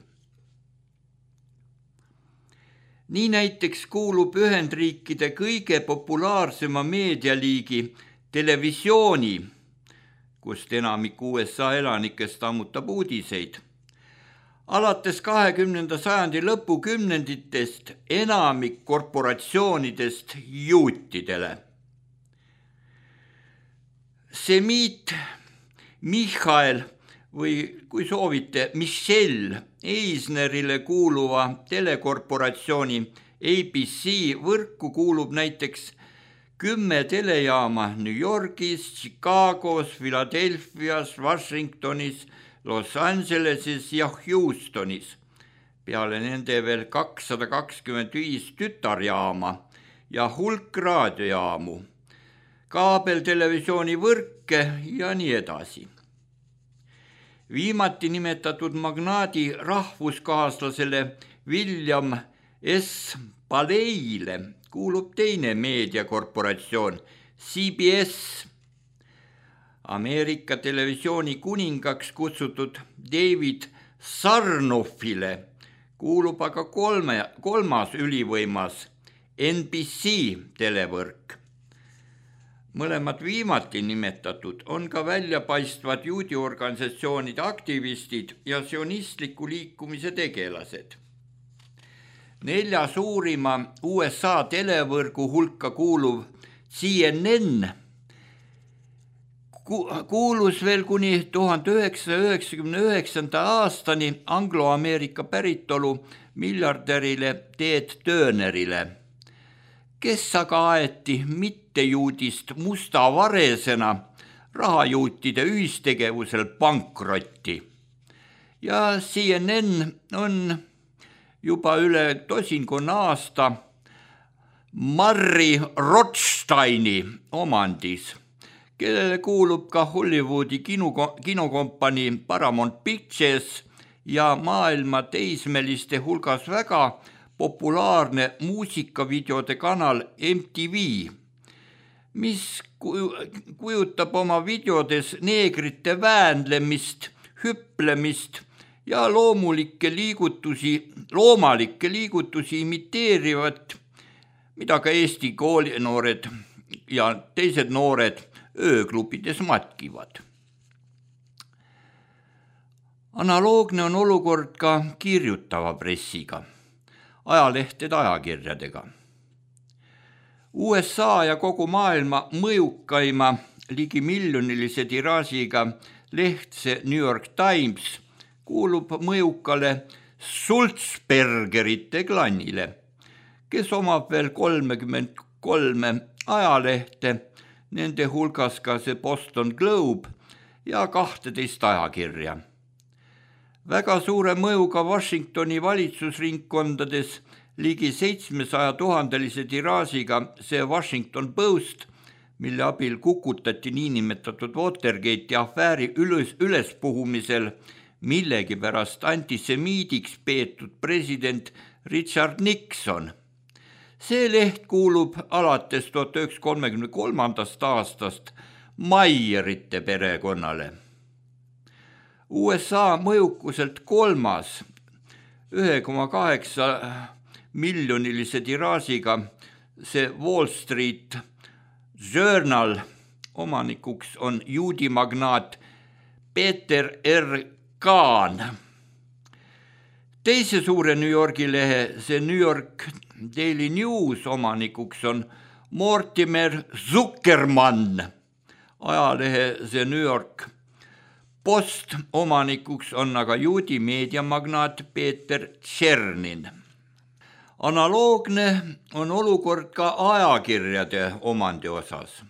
Nii näiteks kuulub Ühendriikide kõige populaarsema meedialiigi televisiooni, kust enamik U S A elanikest ammutab uudiseid. Alates kahekümnenda sajandi lõpukümnenditest enamik korporatsioonidest juutidele. Semiit Michael või kui soovite Michelle Eisnerile kuuluva telekorporatsiooni A B C võrku kuulub näiteks kümme telejaama New Yorgis, Chicagos, Philadelphias, Washingtonis, Los Angeleses ja Houstonis. Peale nende veel kakssada kakskümmend viis tütarjaama ja hulk raadiojaamu, kaabeltelevisiooni võrke ja nii edasi. Viimati nimetatud magnaadi rahvuskaaslasele William S. Paleile kuulub teine meediakorporatsioon C B S. Ameerika televisiooni kuningaks kutsutud David Sarnoffile kuulub aga kolme, kolmas ülivõimas N B C televõrk. Mõlemad viimati nimetatud on ka väljapaistvad juudiorganisatsioonide aktivistid ja sionistliku liikumise tegelased. Nelja suurima U S A televõrgu hulka kuuluv C N N kuulus veel kuni tuhande üheksasaja üheksakümne üheksanda aastani anglo-Ameerika päritolu miljardärile Ted Turnerile, kes aga aeti mittejuudist musta varesena rahajuutide ühistegevusel pankrotti. Ja C N N on juba üle tosinkonna aasta Murray Rothsteini omandis, kellele kuulub ka Hollywoodi kino, kinokompanii Paramount Pictures ja maailma teismeliste hulgas väga populaarne muusikavideode kanal M T V, mis kujutab oma videodes neegrite väänlemist, hüplemist ja loomulikke liigutusi, loomalikke liigutusi imiteerivat mida ka Eesti koolinoored ja teised noored ööklubides matkivad. Analoogne on olukord ka kirjutava pressiga, ajalehtede ajakirjadega. U S A ja kogu maailma mõjukaima ligi miljonilise tiraažiga lehtse New York Times kuulub mõjukale Sulzbergerite klannile, kes omab veel kolmekümmend kolme ajalehte, nende hulgas ka see Boston Globe ja kahteteist ajakirja. Väga suure mõjuga Washingtoni valitsusringkondades ligi seitsmesaja tuhandelise tiraažiga see Washington Post, mille abil kukutati niinimetatud Watergate'i afääri üles, ülespuhumisel millegipärast antisemiidiks peetud president Richard Nixon. See leht kuulub alates tuhat üheksasada kolmekümne kolmandast aastast Mayerite perekonnale. U S A mõjukuselt kolmas ühe koma kaheksa miljonilise tiraažiga see Wall Street Journal, omanikuks on juudi magnaat Peter R. Kahn. Teise suure New Yorgi lehe, see New York Daily News, omanikuks on Mortimer Zuckerman. Ajalehe see New York Post, omanikuks on aga juudi meediamagnaat Peter Tšernin. Analoogne on olukord ka ajakirjade omandi osas.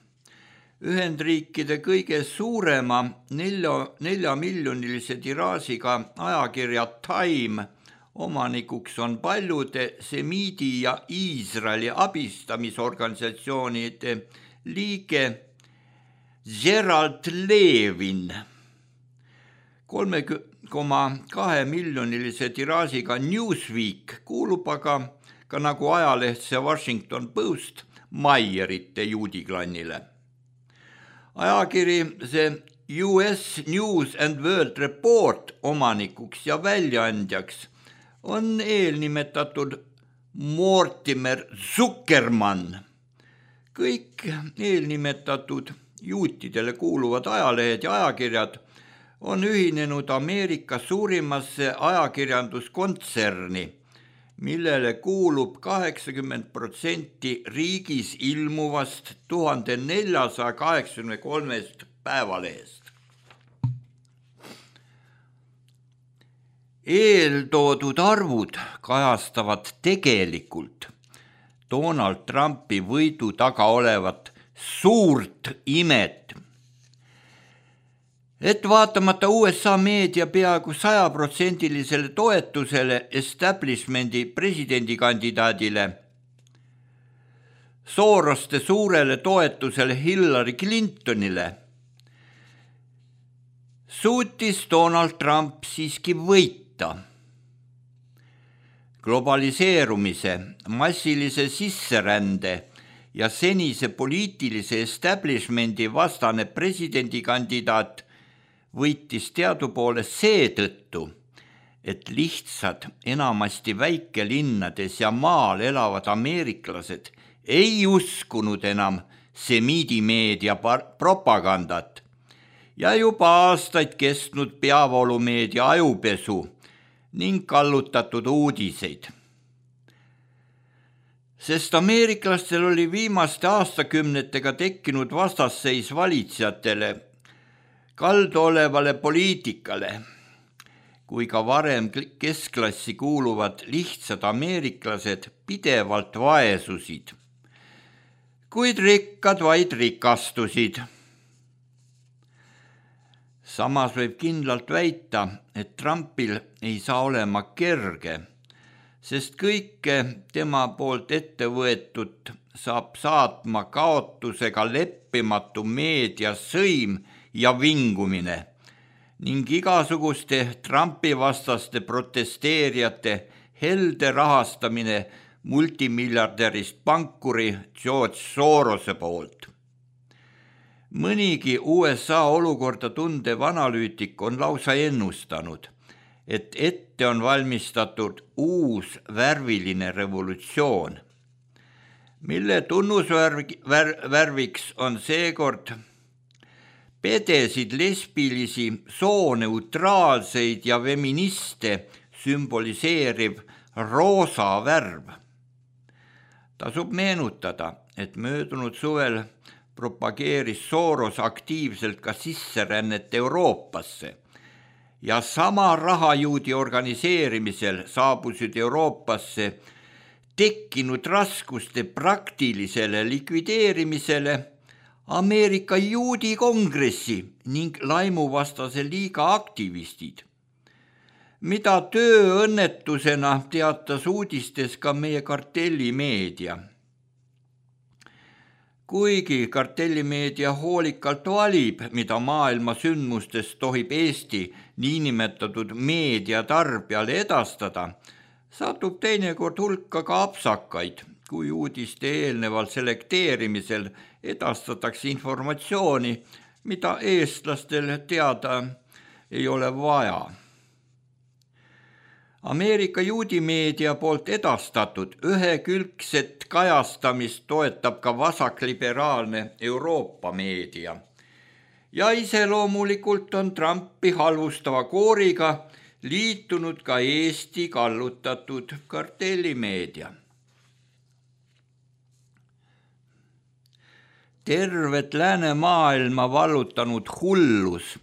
Ühendriikide kõige suurema nelja, nelja miljonilise tiraažiga ajakirja Time omanikuks on paljude semiidi ja Iisraeli abistamisorganisatsioonide liige Gerald Levin. kolme koma kahe miljonilise tiraažiga Newsweek kuulub aga ka nagu ajaleht see Washington Post Mayerite juudiklannile. Ajakiri see U S News and World Report omanikuks ja väljaandjaks on eelnimetatud Mortimer Zuckerman. Kõik eelnimetatud juutidele kuuluvad ajalehed ja ajakirjad on ühinenud Ameerika suurimasse ajakirjanduskontserni, millele kuulub kaheksakümmend protsenti riigis ilmuvast tuhat neljasada kaheksakümne kolmest päevalehest. Eeltoodud arvud kajastavad tegelikult Donald Trumpi võidu taga olevat suurt imet, et vaatamata U S A meedia peaaegu sajaprotsendilisele toetusele establishmendi presidendikandidaadile, Soroste suurele toetusele Hillary Clintonile, suutis Donald Trump siiski võita. Globaliseerumise, massilise sisserände ja senise poliitilise establishmendi vastane presidendikandidaat võitis teadupoole seetõttu, et lihtsad enamasti väikelinnades ja maal elavad ameeriklased ei uskunud enam semiidimeedia propagandat ja juba aastaid kestnud peavoolumeedia ajupesu ning kallutatud uudiseid. Sest ameeriklastel oli viimaste aastakümnetega tekkinud vastasseis valitsejatele, kaldu olevale poliitikale, kui ka varem keskklassi kuuluvad lihtsad ameeriklased pidevalt vaesusid, kuid rikkad vaid rikastusid. Samas võib kindlalt väita, et Trumpil ei saa olema kerge, sest kõike tema poolt ette võetud saab saatma kaotusega leppimatu meedia sõim ja vingumine ning igasuguste Trumpi vastaste protesteerijate helde rahastamine multimiljardärist pankuri George Sorose poolt. Mõnigi U S A olukorda tundev analüütik on lausa ennustanud, et ette on valmistatud uus värviline revolutsioon. mille tunnusvärviks on seekord pedesid, lesbilisi, sooneutraalseid ja feministe sümboliseeriv roosa värv. Tasub meenutada, et möödunud suvel propageeris Soros aktiivselt ka sisserännet Euroopasse ja sama rahajuudi organiseerimisel saabusid Euroopasse tekkinud raskuste praktilisele likvideerimisele Ameerika juudi kongressi ning laimuvastase liiga aktivistid, mida tööõnnetusena teatas uudistes ka meie kartellimeedia. Kuigi kartellimeedia hoolikalt valib, mida maailma sündmustest tohib Eesti niinimetatud meediatarbijale edastada, satub teinekord hulka ka apsakaid, kui uudiste eelneval selekteerimisel edastatakse informatsiooni, mida eestlastel teada ei ole vaja. Ameerika juudimeedia poolt edastatud ühekülgset kajastamist toetab ka vasakliberaalne Euroopa meedia. Ja iseloomulikult on Trumpi halvustava kooriga liitunud ka Eesti kallutatud kartellimeedia. Tervet läänemaailma vallutanud hullus,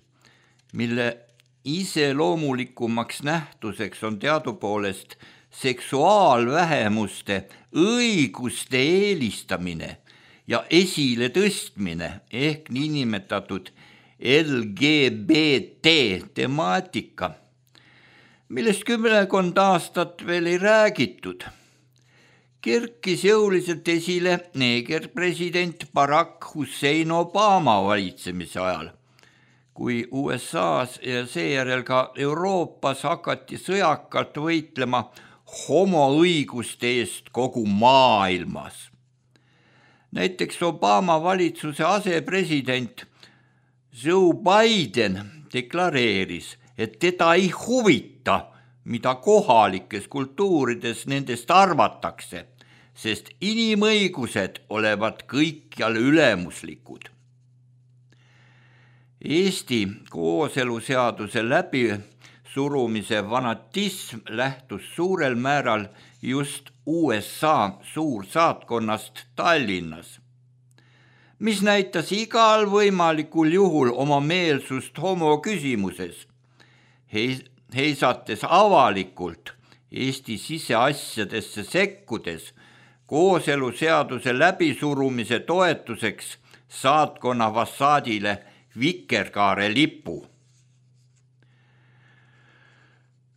mille iseloomulikumaks nähtuseks on teadupoolest seksuaalvähemuste õiguste eelistamine ja esile tõstmine ehk niinimetatud L G B T temaatika, millest kümmekond aastat veel ei räägitud. Kerkis jõuliselt esile neeger president Barack Hussein Obama valitsemise ajal, kui U S A-s ja seejärel ka Euroopas hakati sõjakalt võitlema homoõiguste eest kogu maailmas. Näiteks Obama valitsuse asepresident Joe Biden deklareeris, et teda ei huvita, mida kohalikes kultuurides nendest arvatakse, sest inimõigused olevat kõikjal ülemuslikud. Eesti kooseluseaduse läbisurumise fanatism lähtus suurel määral just U S A suursaatkonnast Tallinnas, mis näitas igal võimalikul juhul oma meelsust homo küsimuses, heisates avalikult Eesti siseasjadesse sekkudes kooseluseaduse läbisurumise toetuseks saatkonna fassaadile vikerkaare lipu.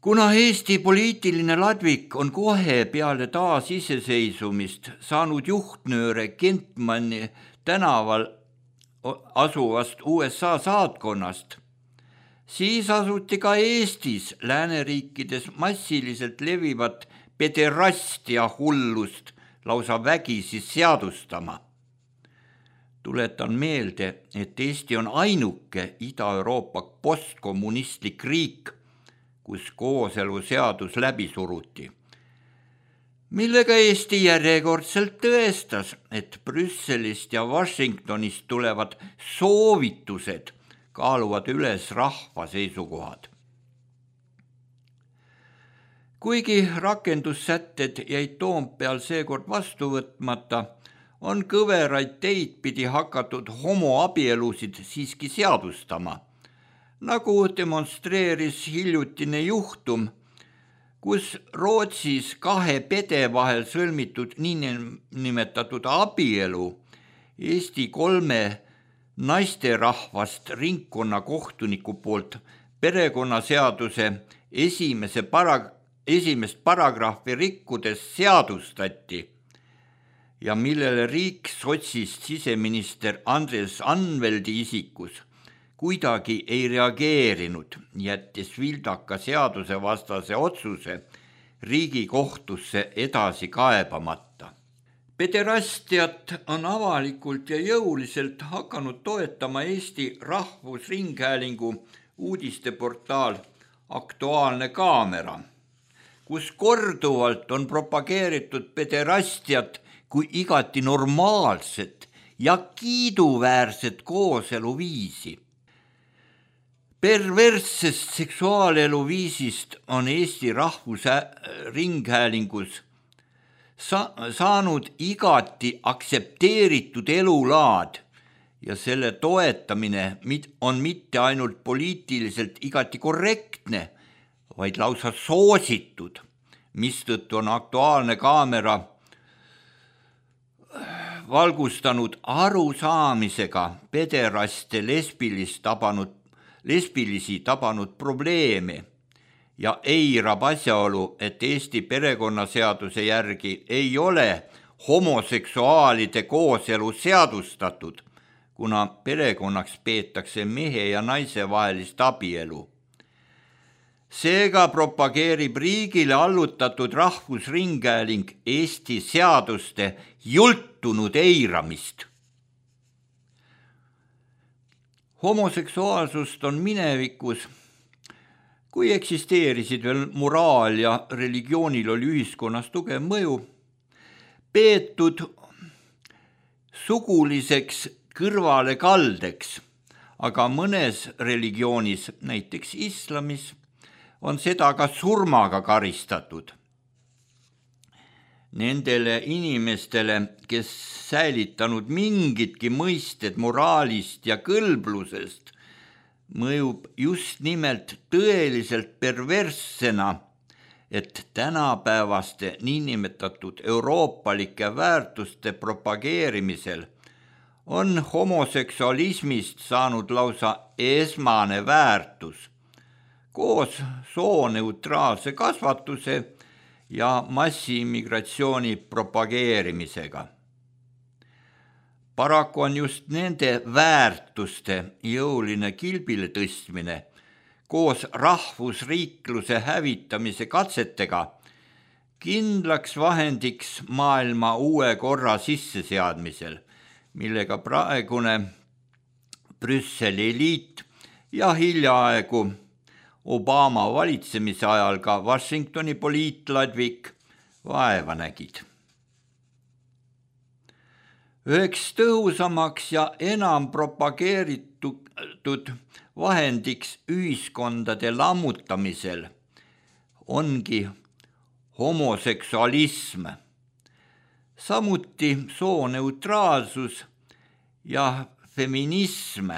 Kuna Eesti poliitiline ladvik on kohe peale taas iseseisvumist saanud juhtnööre Kentmanni tänaval asuvast U S A saatkonnast, siis asuti ka Eestis lääneriikides massiliselt levivat pederastia hullust lausa vägisi seadustama. Tuletan meelde, et Eesti on ainuke Ida-Euroopa postkommunistlik riik, kus kooseluseadus läbi suruti, millega Eesti järjekordselt tõestas, et Brüsselist ja Washingtonist tulevad soovitused kaaluvad üles rahva seisukohad. Kuigi rakendussätted jäid Toompeal seekord vastu võtmata, on kõveraid teid pidi hakatud homoabielusid siiski seadustama, nagu demonstreeris hiljutine juhtum, kus Rootsis kahe pede vahel sõlmitud niinimetatud abielu Eesti kolme naisterahvast ringkonnakohtuniku poolt perekonnaseaduse esimese para- esimest paragrahvi rikkudes seadustati ja millele riik sotsist siseminister Andres Anveldi isikus kuidagi ei reageerinud, jättis vildaka seadusevastase otsuse Riigikohtusse edasi kaebamata. Pederastiat on avalikult ja jõuliselt hakanud toetama Eesti Rahvusringhäälingu uudisteportaal Aktuaalne kaamera, kus korduvalt on propageeritud pederastiat kui igati normaalset ja kiiduväärset kooseluviisi. Perverssest seksuaaleluviisist on Eesti Rahvusringhäälingus sa- saanud igati aksepteeritud elulaad ja selle toetamine on mitte ainult poliitiliselt igati korrektne, vaid lausa soositud, mistõttu on Aktuaalne Kaamera valgustanud arusaamisega pederaste lesbilist tabanud, lesbilisi tabanud probleeme ja eirab asjaolu, et Eesti perekonnaseaduse järgi ei ole homoseksuaalide kooselu seadustatud, kuna perekonnaks peetakse mehe ja naise vahelist abielu. Seega propageerib riigile allutatud Rahvusringhääling Eesti seaduste jultunud eiramist. Homoseksuaalsust on minevikus, kui eksisteerisid veel moraal ja religioonil oli ühiskonnas tugev mõju, peetud suguliseks kõrvalekaldeks, aga mõnes religioonis, näiteks islamis, on seda ka surmaga karistatud. Nendele inimestele, kes säilitanud mingitki mõisted moraalist ja kõlblusest, mõjub just nimelt tõeliselt perverssena, et tänapäevaste niinimetatud euroopalike väärtuste propageerimisel on homoseksualismist saanud lausa esmane väärtus, koos sooneutraalse kasvatuse ja massiimmigratsiooni propageerimisega. Paraku on just nende väärtuste jõuline kilbile tõstmine koos rahvusriikluse hävitamise katsetega kindlaks vahendiks maailma uue korra sisseseadmisel, millega praegune Brüsseli eliit ja hiljaaegu Obama valitsemise ajal ka Washingtoni poliitladvik vaeva nägid. Üheks tõhusamaks ja enam propageeritud vahendiks ühiskondade lammutamisel ongi homoseksualism, samuti sooneutraalsus ja feminism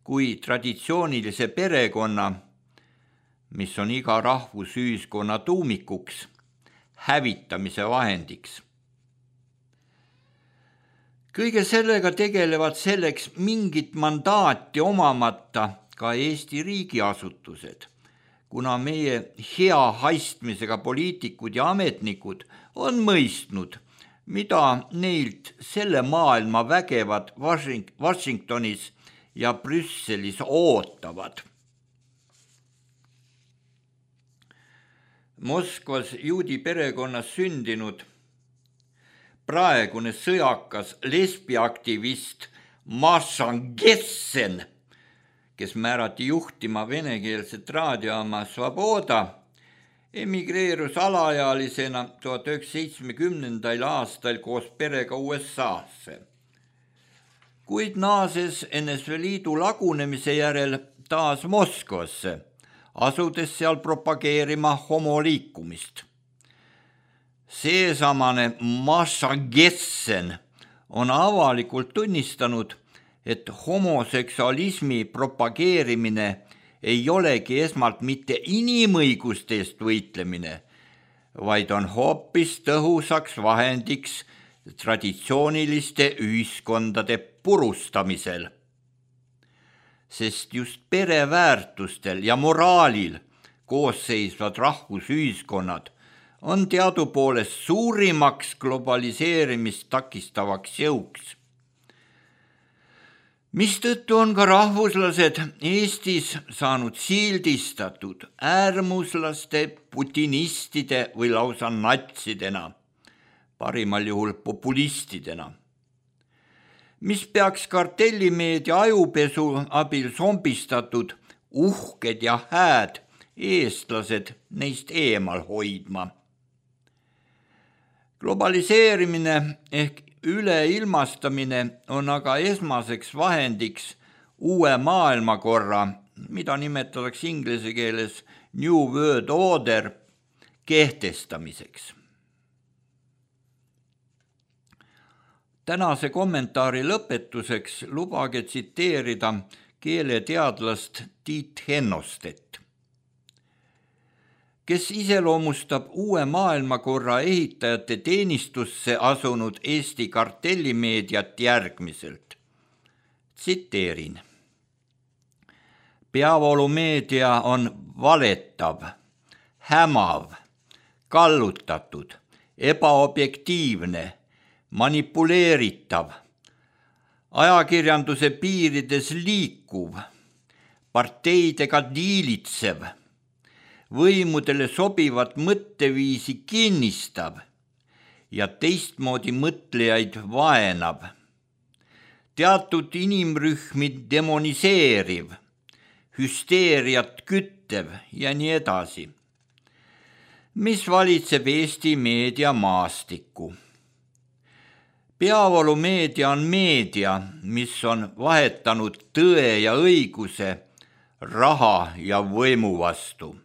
kui traditsioonilise perekonna, mis on iga rahvusühiskonna tuumikuks, hävitamise vahendiks. Kõige sellega tegelevad selleks mingit mandaati omamata ka Eesti riigiasutused, kuna meie hea haistmisega poliitikud ja ametnikud on mõistnud, mida neilt selle maailma vägevad Washingtonis ja Brüsselis ootavad. Moskvas juudi perekonnas sündinud praegune sõjakas lesbiaktivist Maša Gessen, kes määrati juhtima venekeelset raadiojaama Svoboda, emigreerus alaealisena tuhat üheksasaja seitsmekümnendal aastal koos perega U S A-sse. Kuid naases N S V Liidu lagunemise järel taas Moskvasse, asudes seal propageerima homoliikumist. Seesamane Maša Gessen on avalikult tunnistanud, et homoseksualismi propageerimine ei olegi esmalt mitte inimõiguste eest võitlemine, vaid on hoopis tõhusaks vahendiks traditsiooniliste ühiskondade purustamisel. Sest just pereväärtustel ja moraalil koosseisvad rahvusühiskonnad on teadupoolest suurimaks globaliseerimist takistavaks jõuks. Mistõttu on ka rahvuslased Eestis saanud sildistatud äärmuslaste, putinistide või lausa natsidena, parimal juhul populistidena, mis peaks kartellimeedia ajupesu abil zombistatud uhked ja hääd eestlased neist eemal hoidma. Globaliseerimine ehk üleilmastamine on aga esmaseks vahendiks uue maailmakorra, mida nimetatakse inglise keeles New World Order, kehtestamiseks. Tänase kommentaari lõpetuseks lubage tsiteerida keeleteadlast Tiit Hennostet, kes iseloomustab uue maailmakorra ehitajate teenistusse asunud Eesti kartellimeediat järgmiselt. Tsiteerin. Peavoolumeedia on valetav, hämav, kallutatud, ebaobjektiivne, manipuleeritav, ajakirjanduse piirides liikuv, parteidega diilitsev, võimudele sobivat mõtteviisi kinnistav ja teistmoodi mõtlejaid vaenab, teatud inimrühmi demoniseeriv, hüsteeriat küttev ja nii edasi, mis valitseb Eesti meediamaastikku. Peavoolumeedia on meedia, mis on vahetanud tõe ja õiguse raha ja võimu vastu.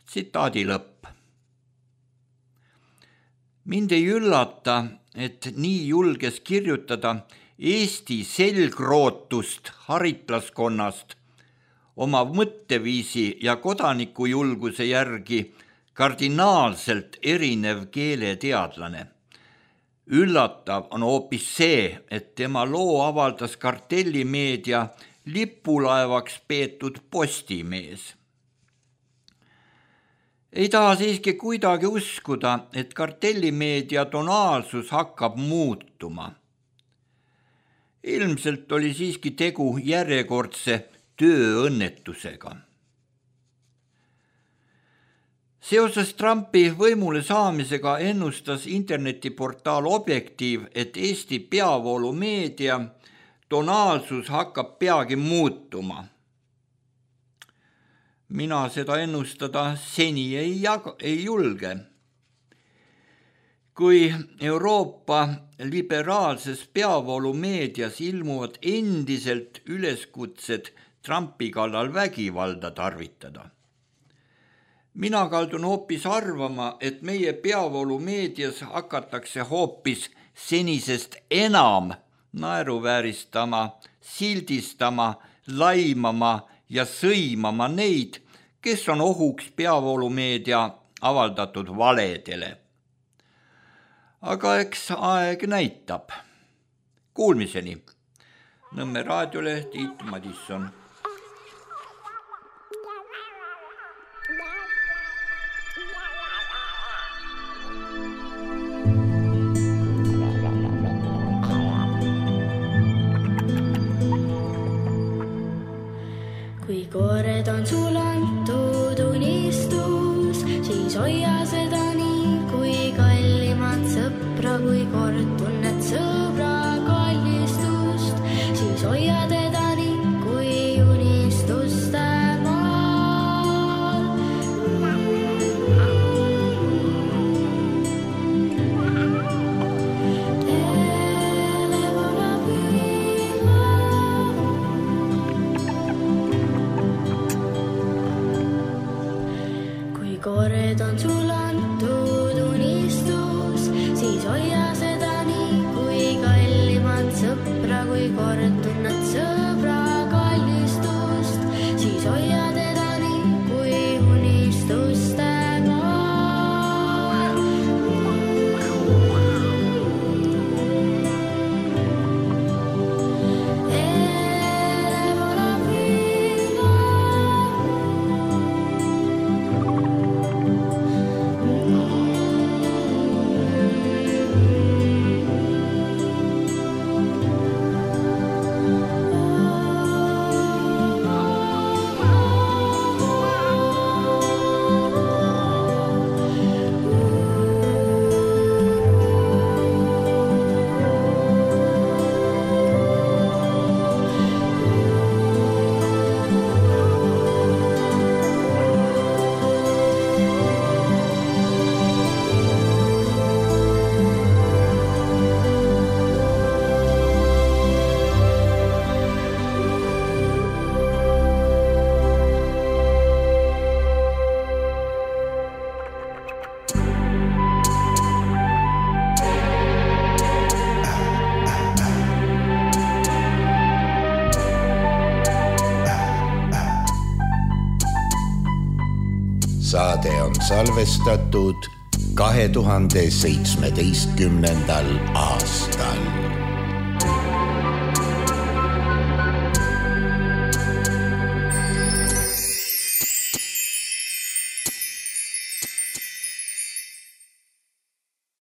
Tsitaadi lõpp. Mind ei üllata, et nii julges kirjutada Eesti selgrootust haritlaskonnast oma mõtteviisi ja kodanikujulguse järgi kardinaalselt erinev keeleteadlane. Üllatav on hoopis see, et tema loo avaldas kartellimeedia lipulaevaks peetud Postimees. Ei taha siiski kuidagi uskuda, et kartellimeedia tonaalsus hakkab muutuma. Ilmselt oli siiski tegu järjekordse tööõnnetusega. Seoses Trumpi võimule saamisega ennustas internetiportaal Objektiiv, et Eesti peavoolumeedia tonaalsus hakkab peagi muutuma. Mina seda ennustada seni ei, jaga, ei julge. Kui Euroopa liberaalses peavoolumeedias ilmuvad endiselt üleskutsed Trumpi kallal vägivalda tarvitada. Mina kaldun hoopis arvama, et meie peavoolumeedias hakatakse hoopis senisest enam naeruvääristama, sildistama, laimama ja sõimama neid, kes on ohuks peavoolumeedia avaldatud valedele. Aga eks aeg näitab. Kuulmiseni. Nõmme raadiole Tiit Madisson. Kui koored on sul antud unistus, siis hoia seda nii, kui kallimat sõpra, kui kord tunned sõbra kallistust, siis hoia teda nii, kui unistuste maal. Koored on sul antud unistus, siis hoia seda nii, kui kallimat sõpra, kui kord tunned sõbra kallistust, siis hoia teda nii, kui unistuste maal. saade on salvestatud kahe tuhande seitsmeteistkümnendal aastal.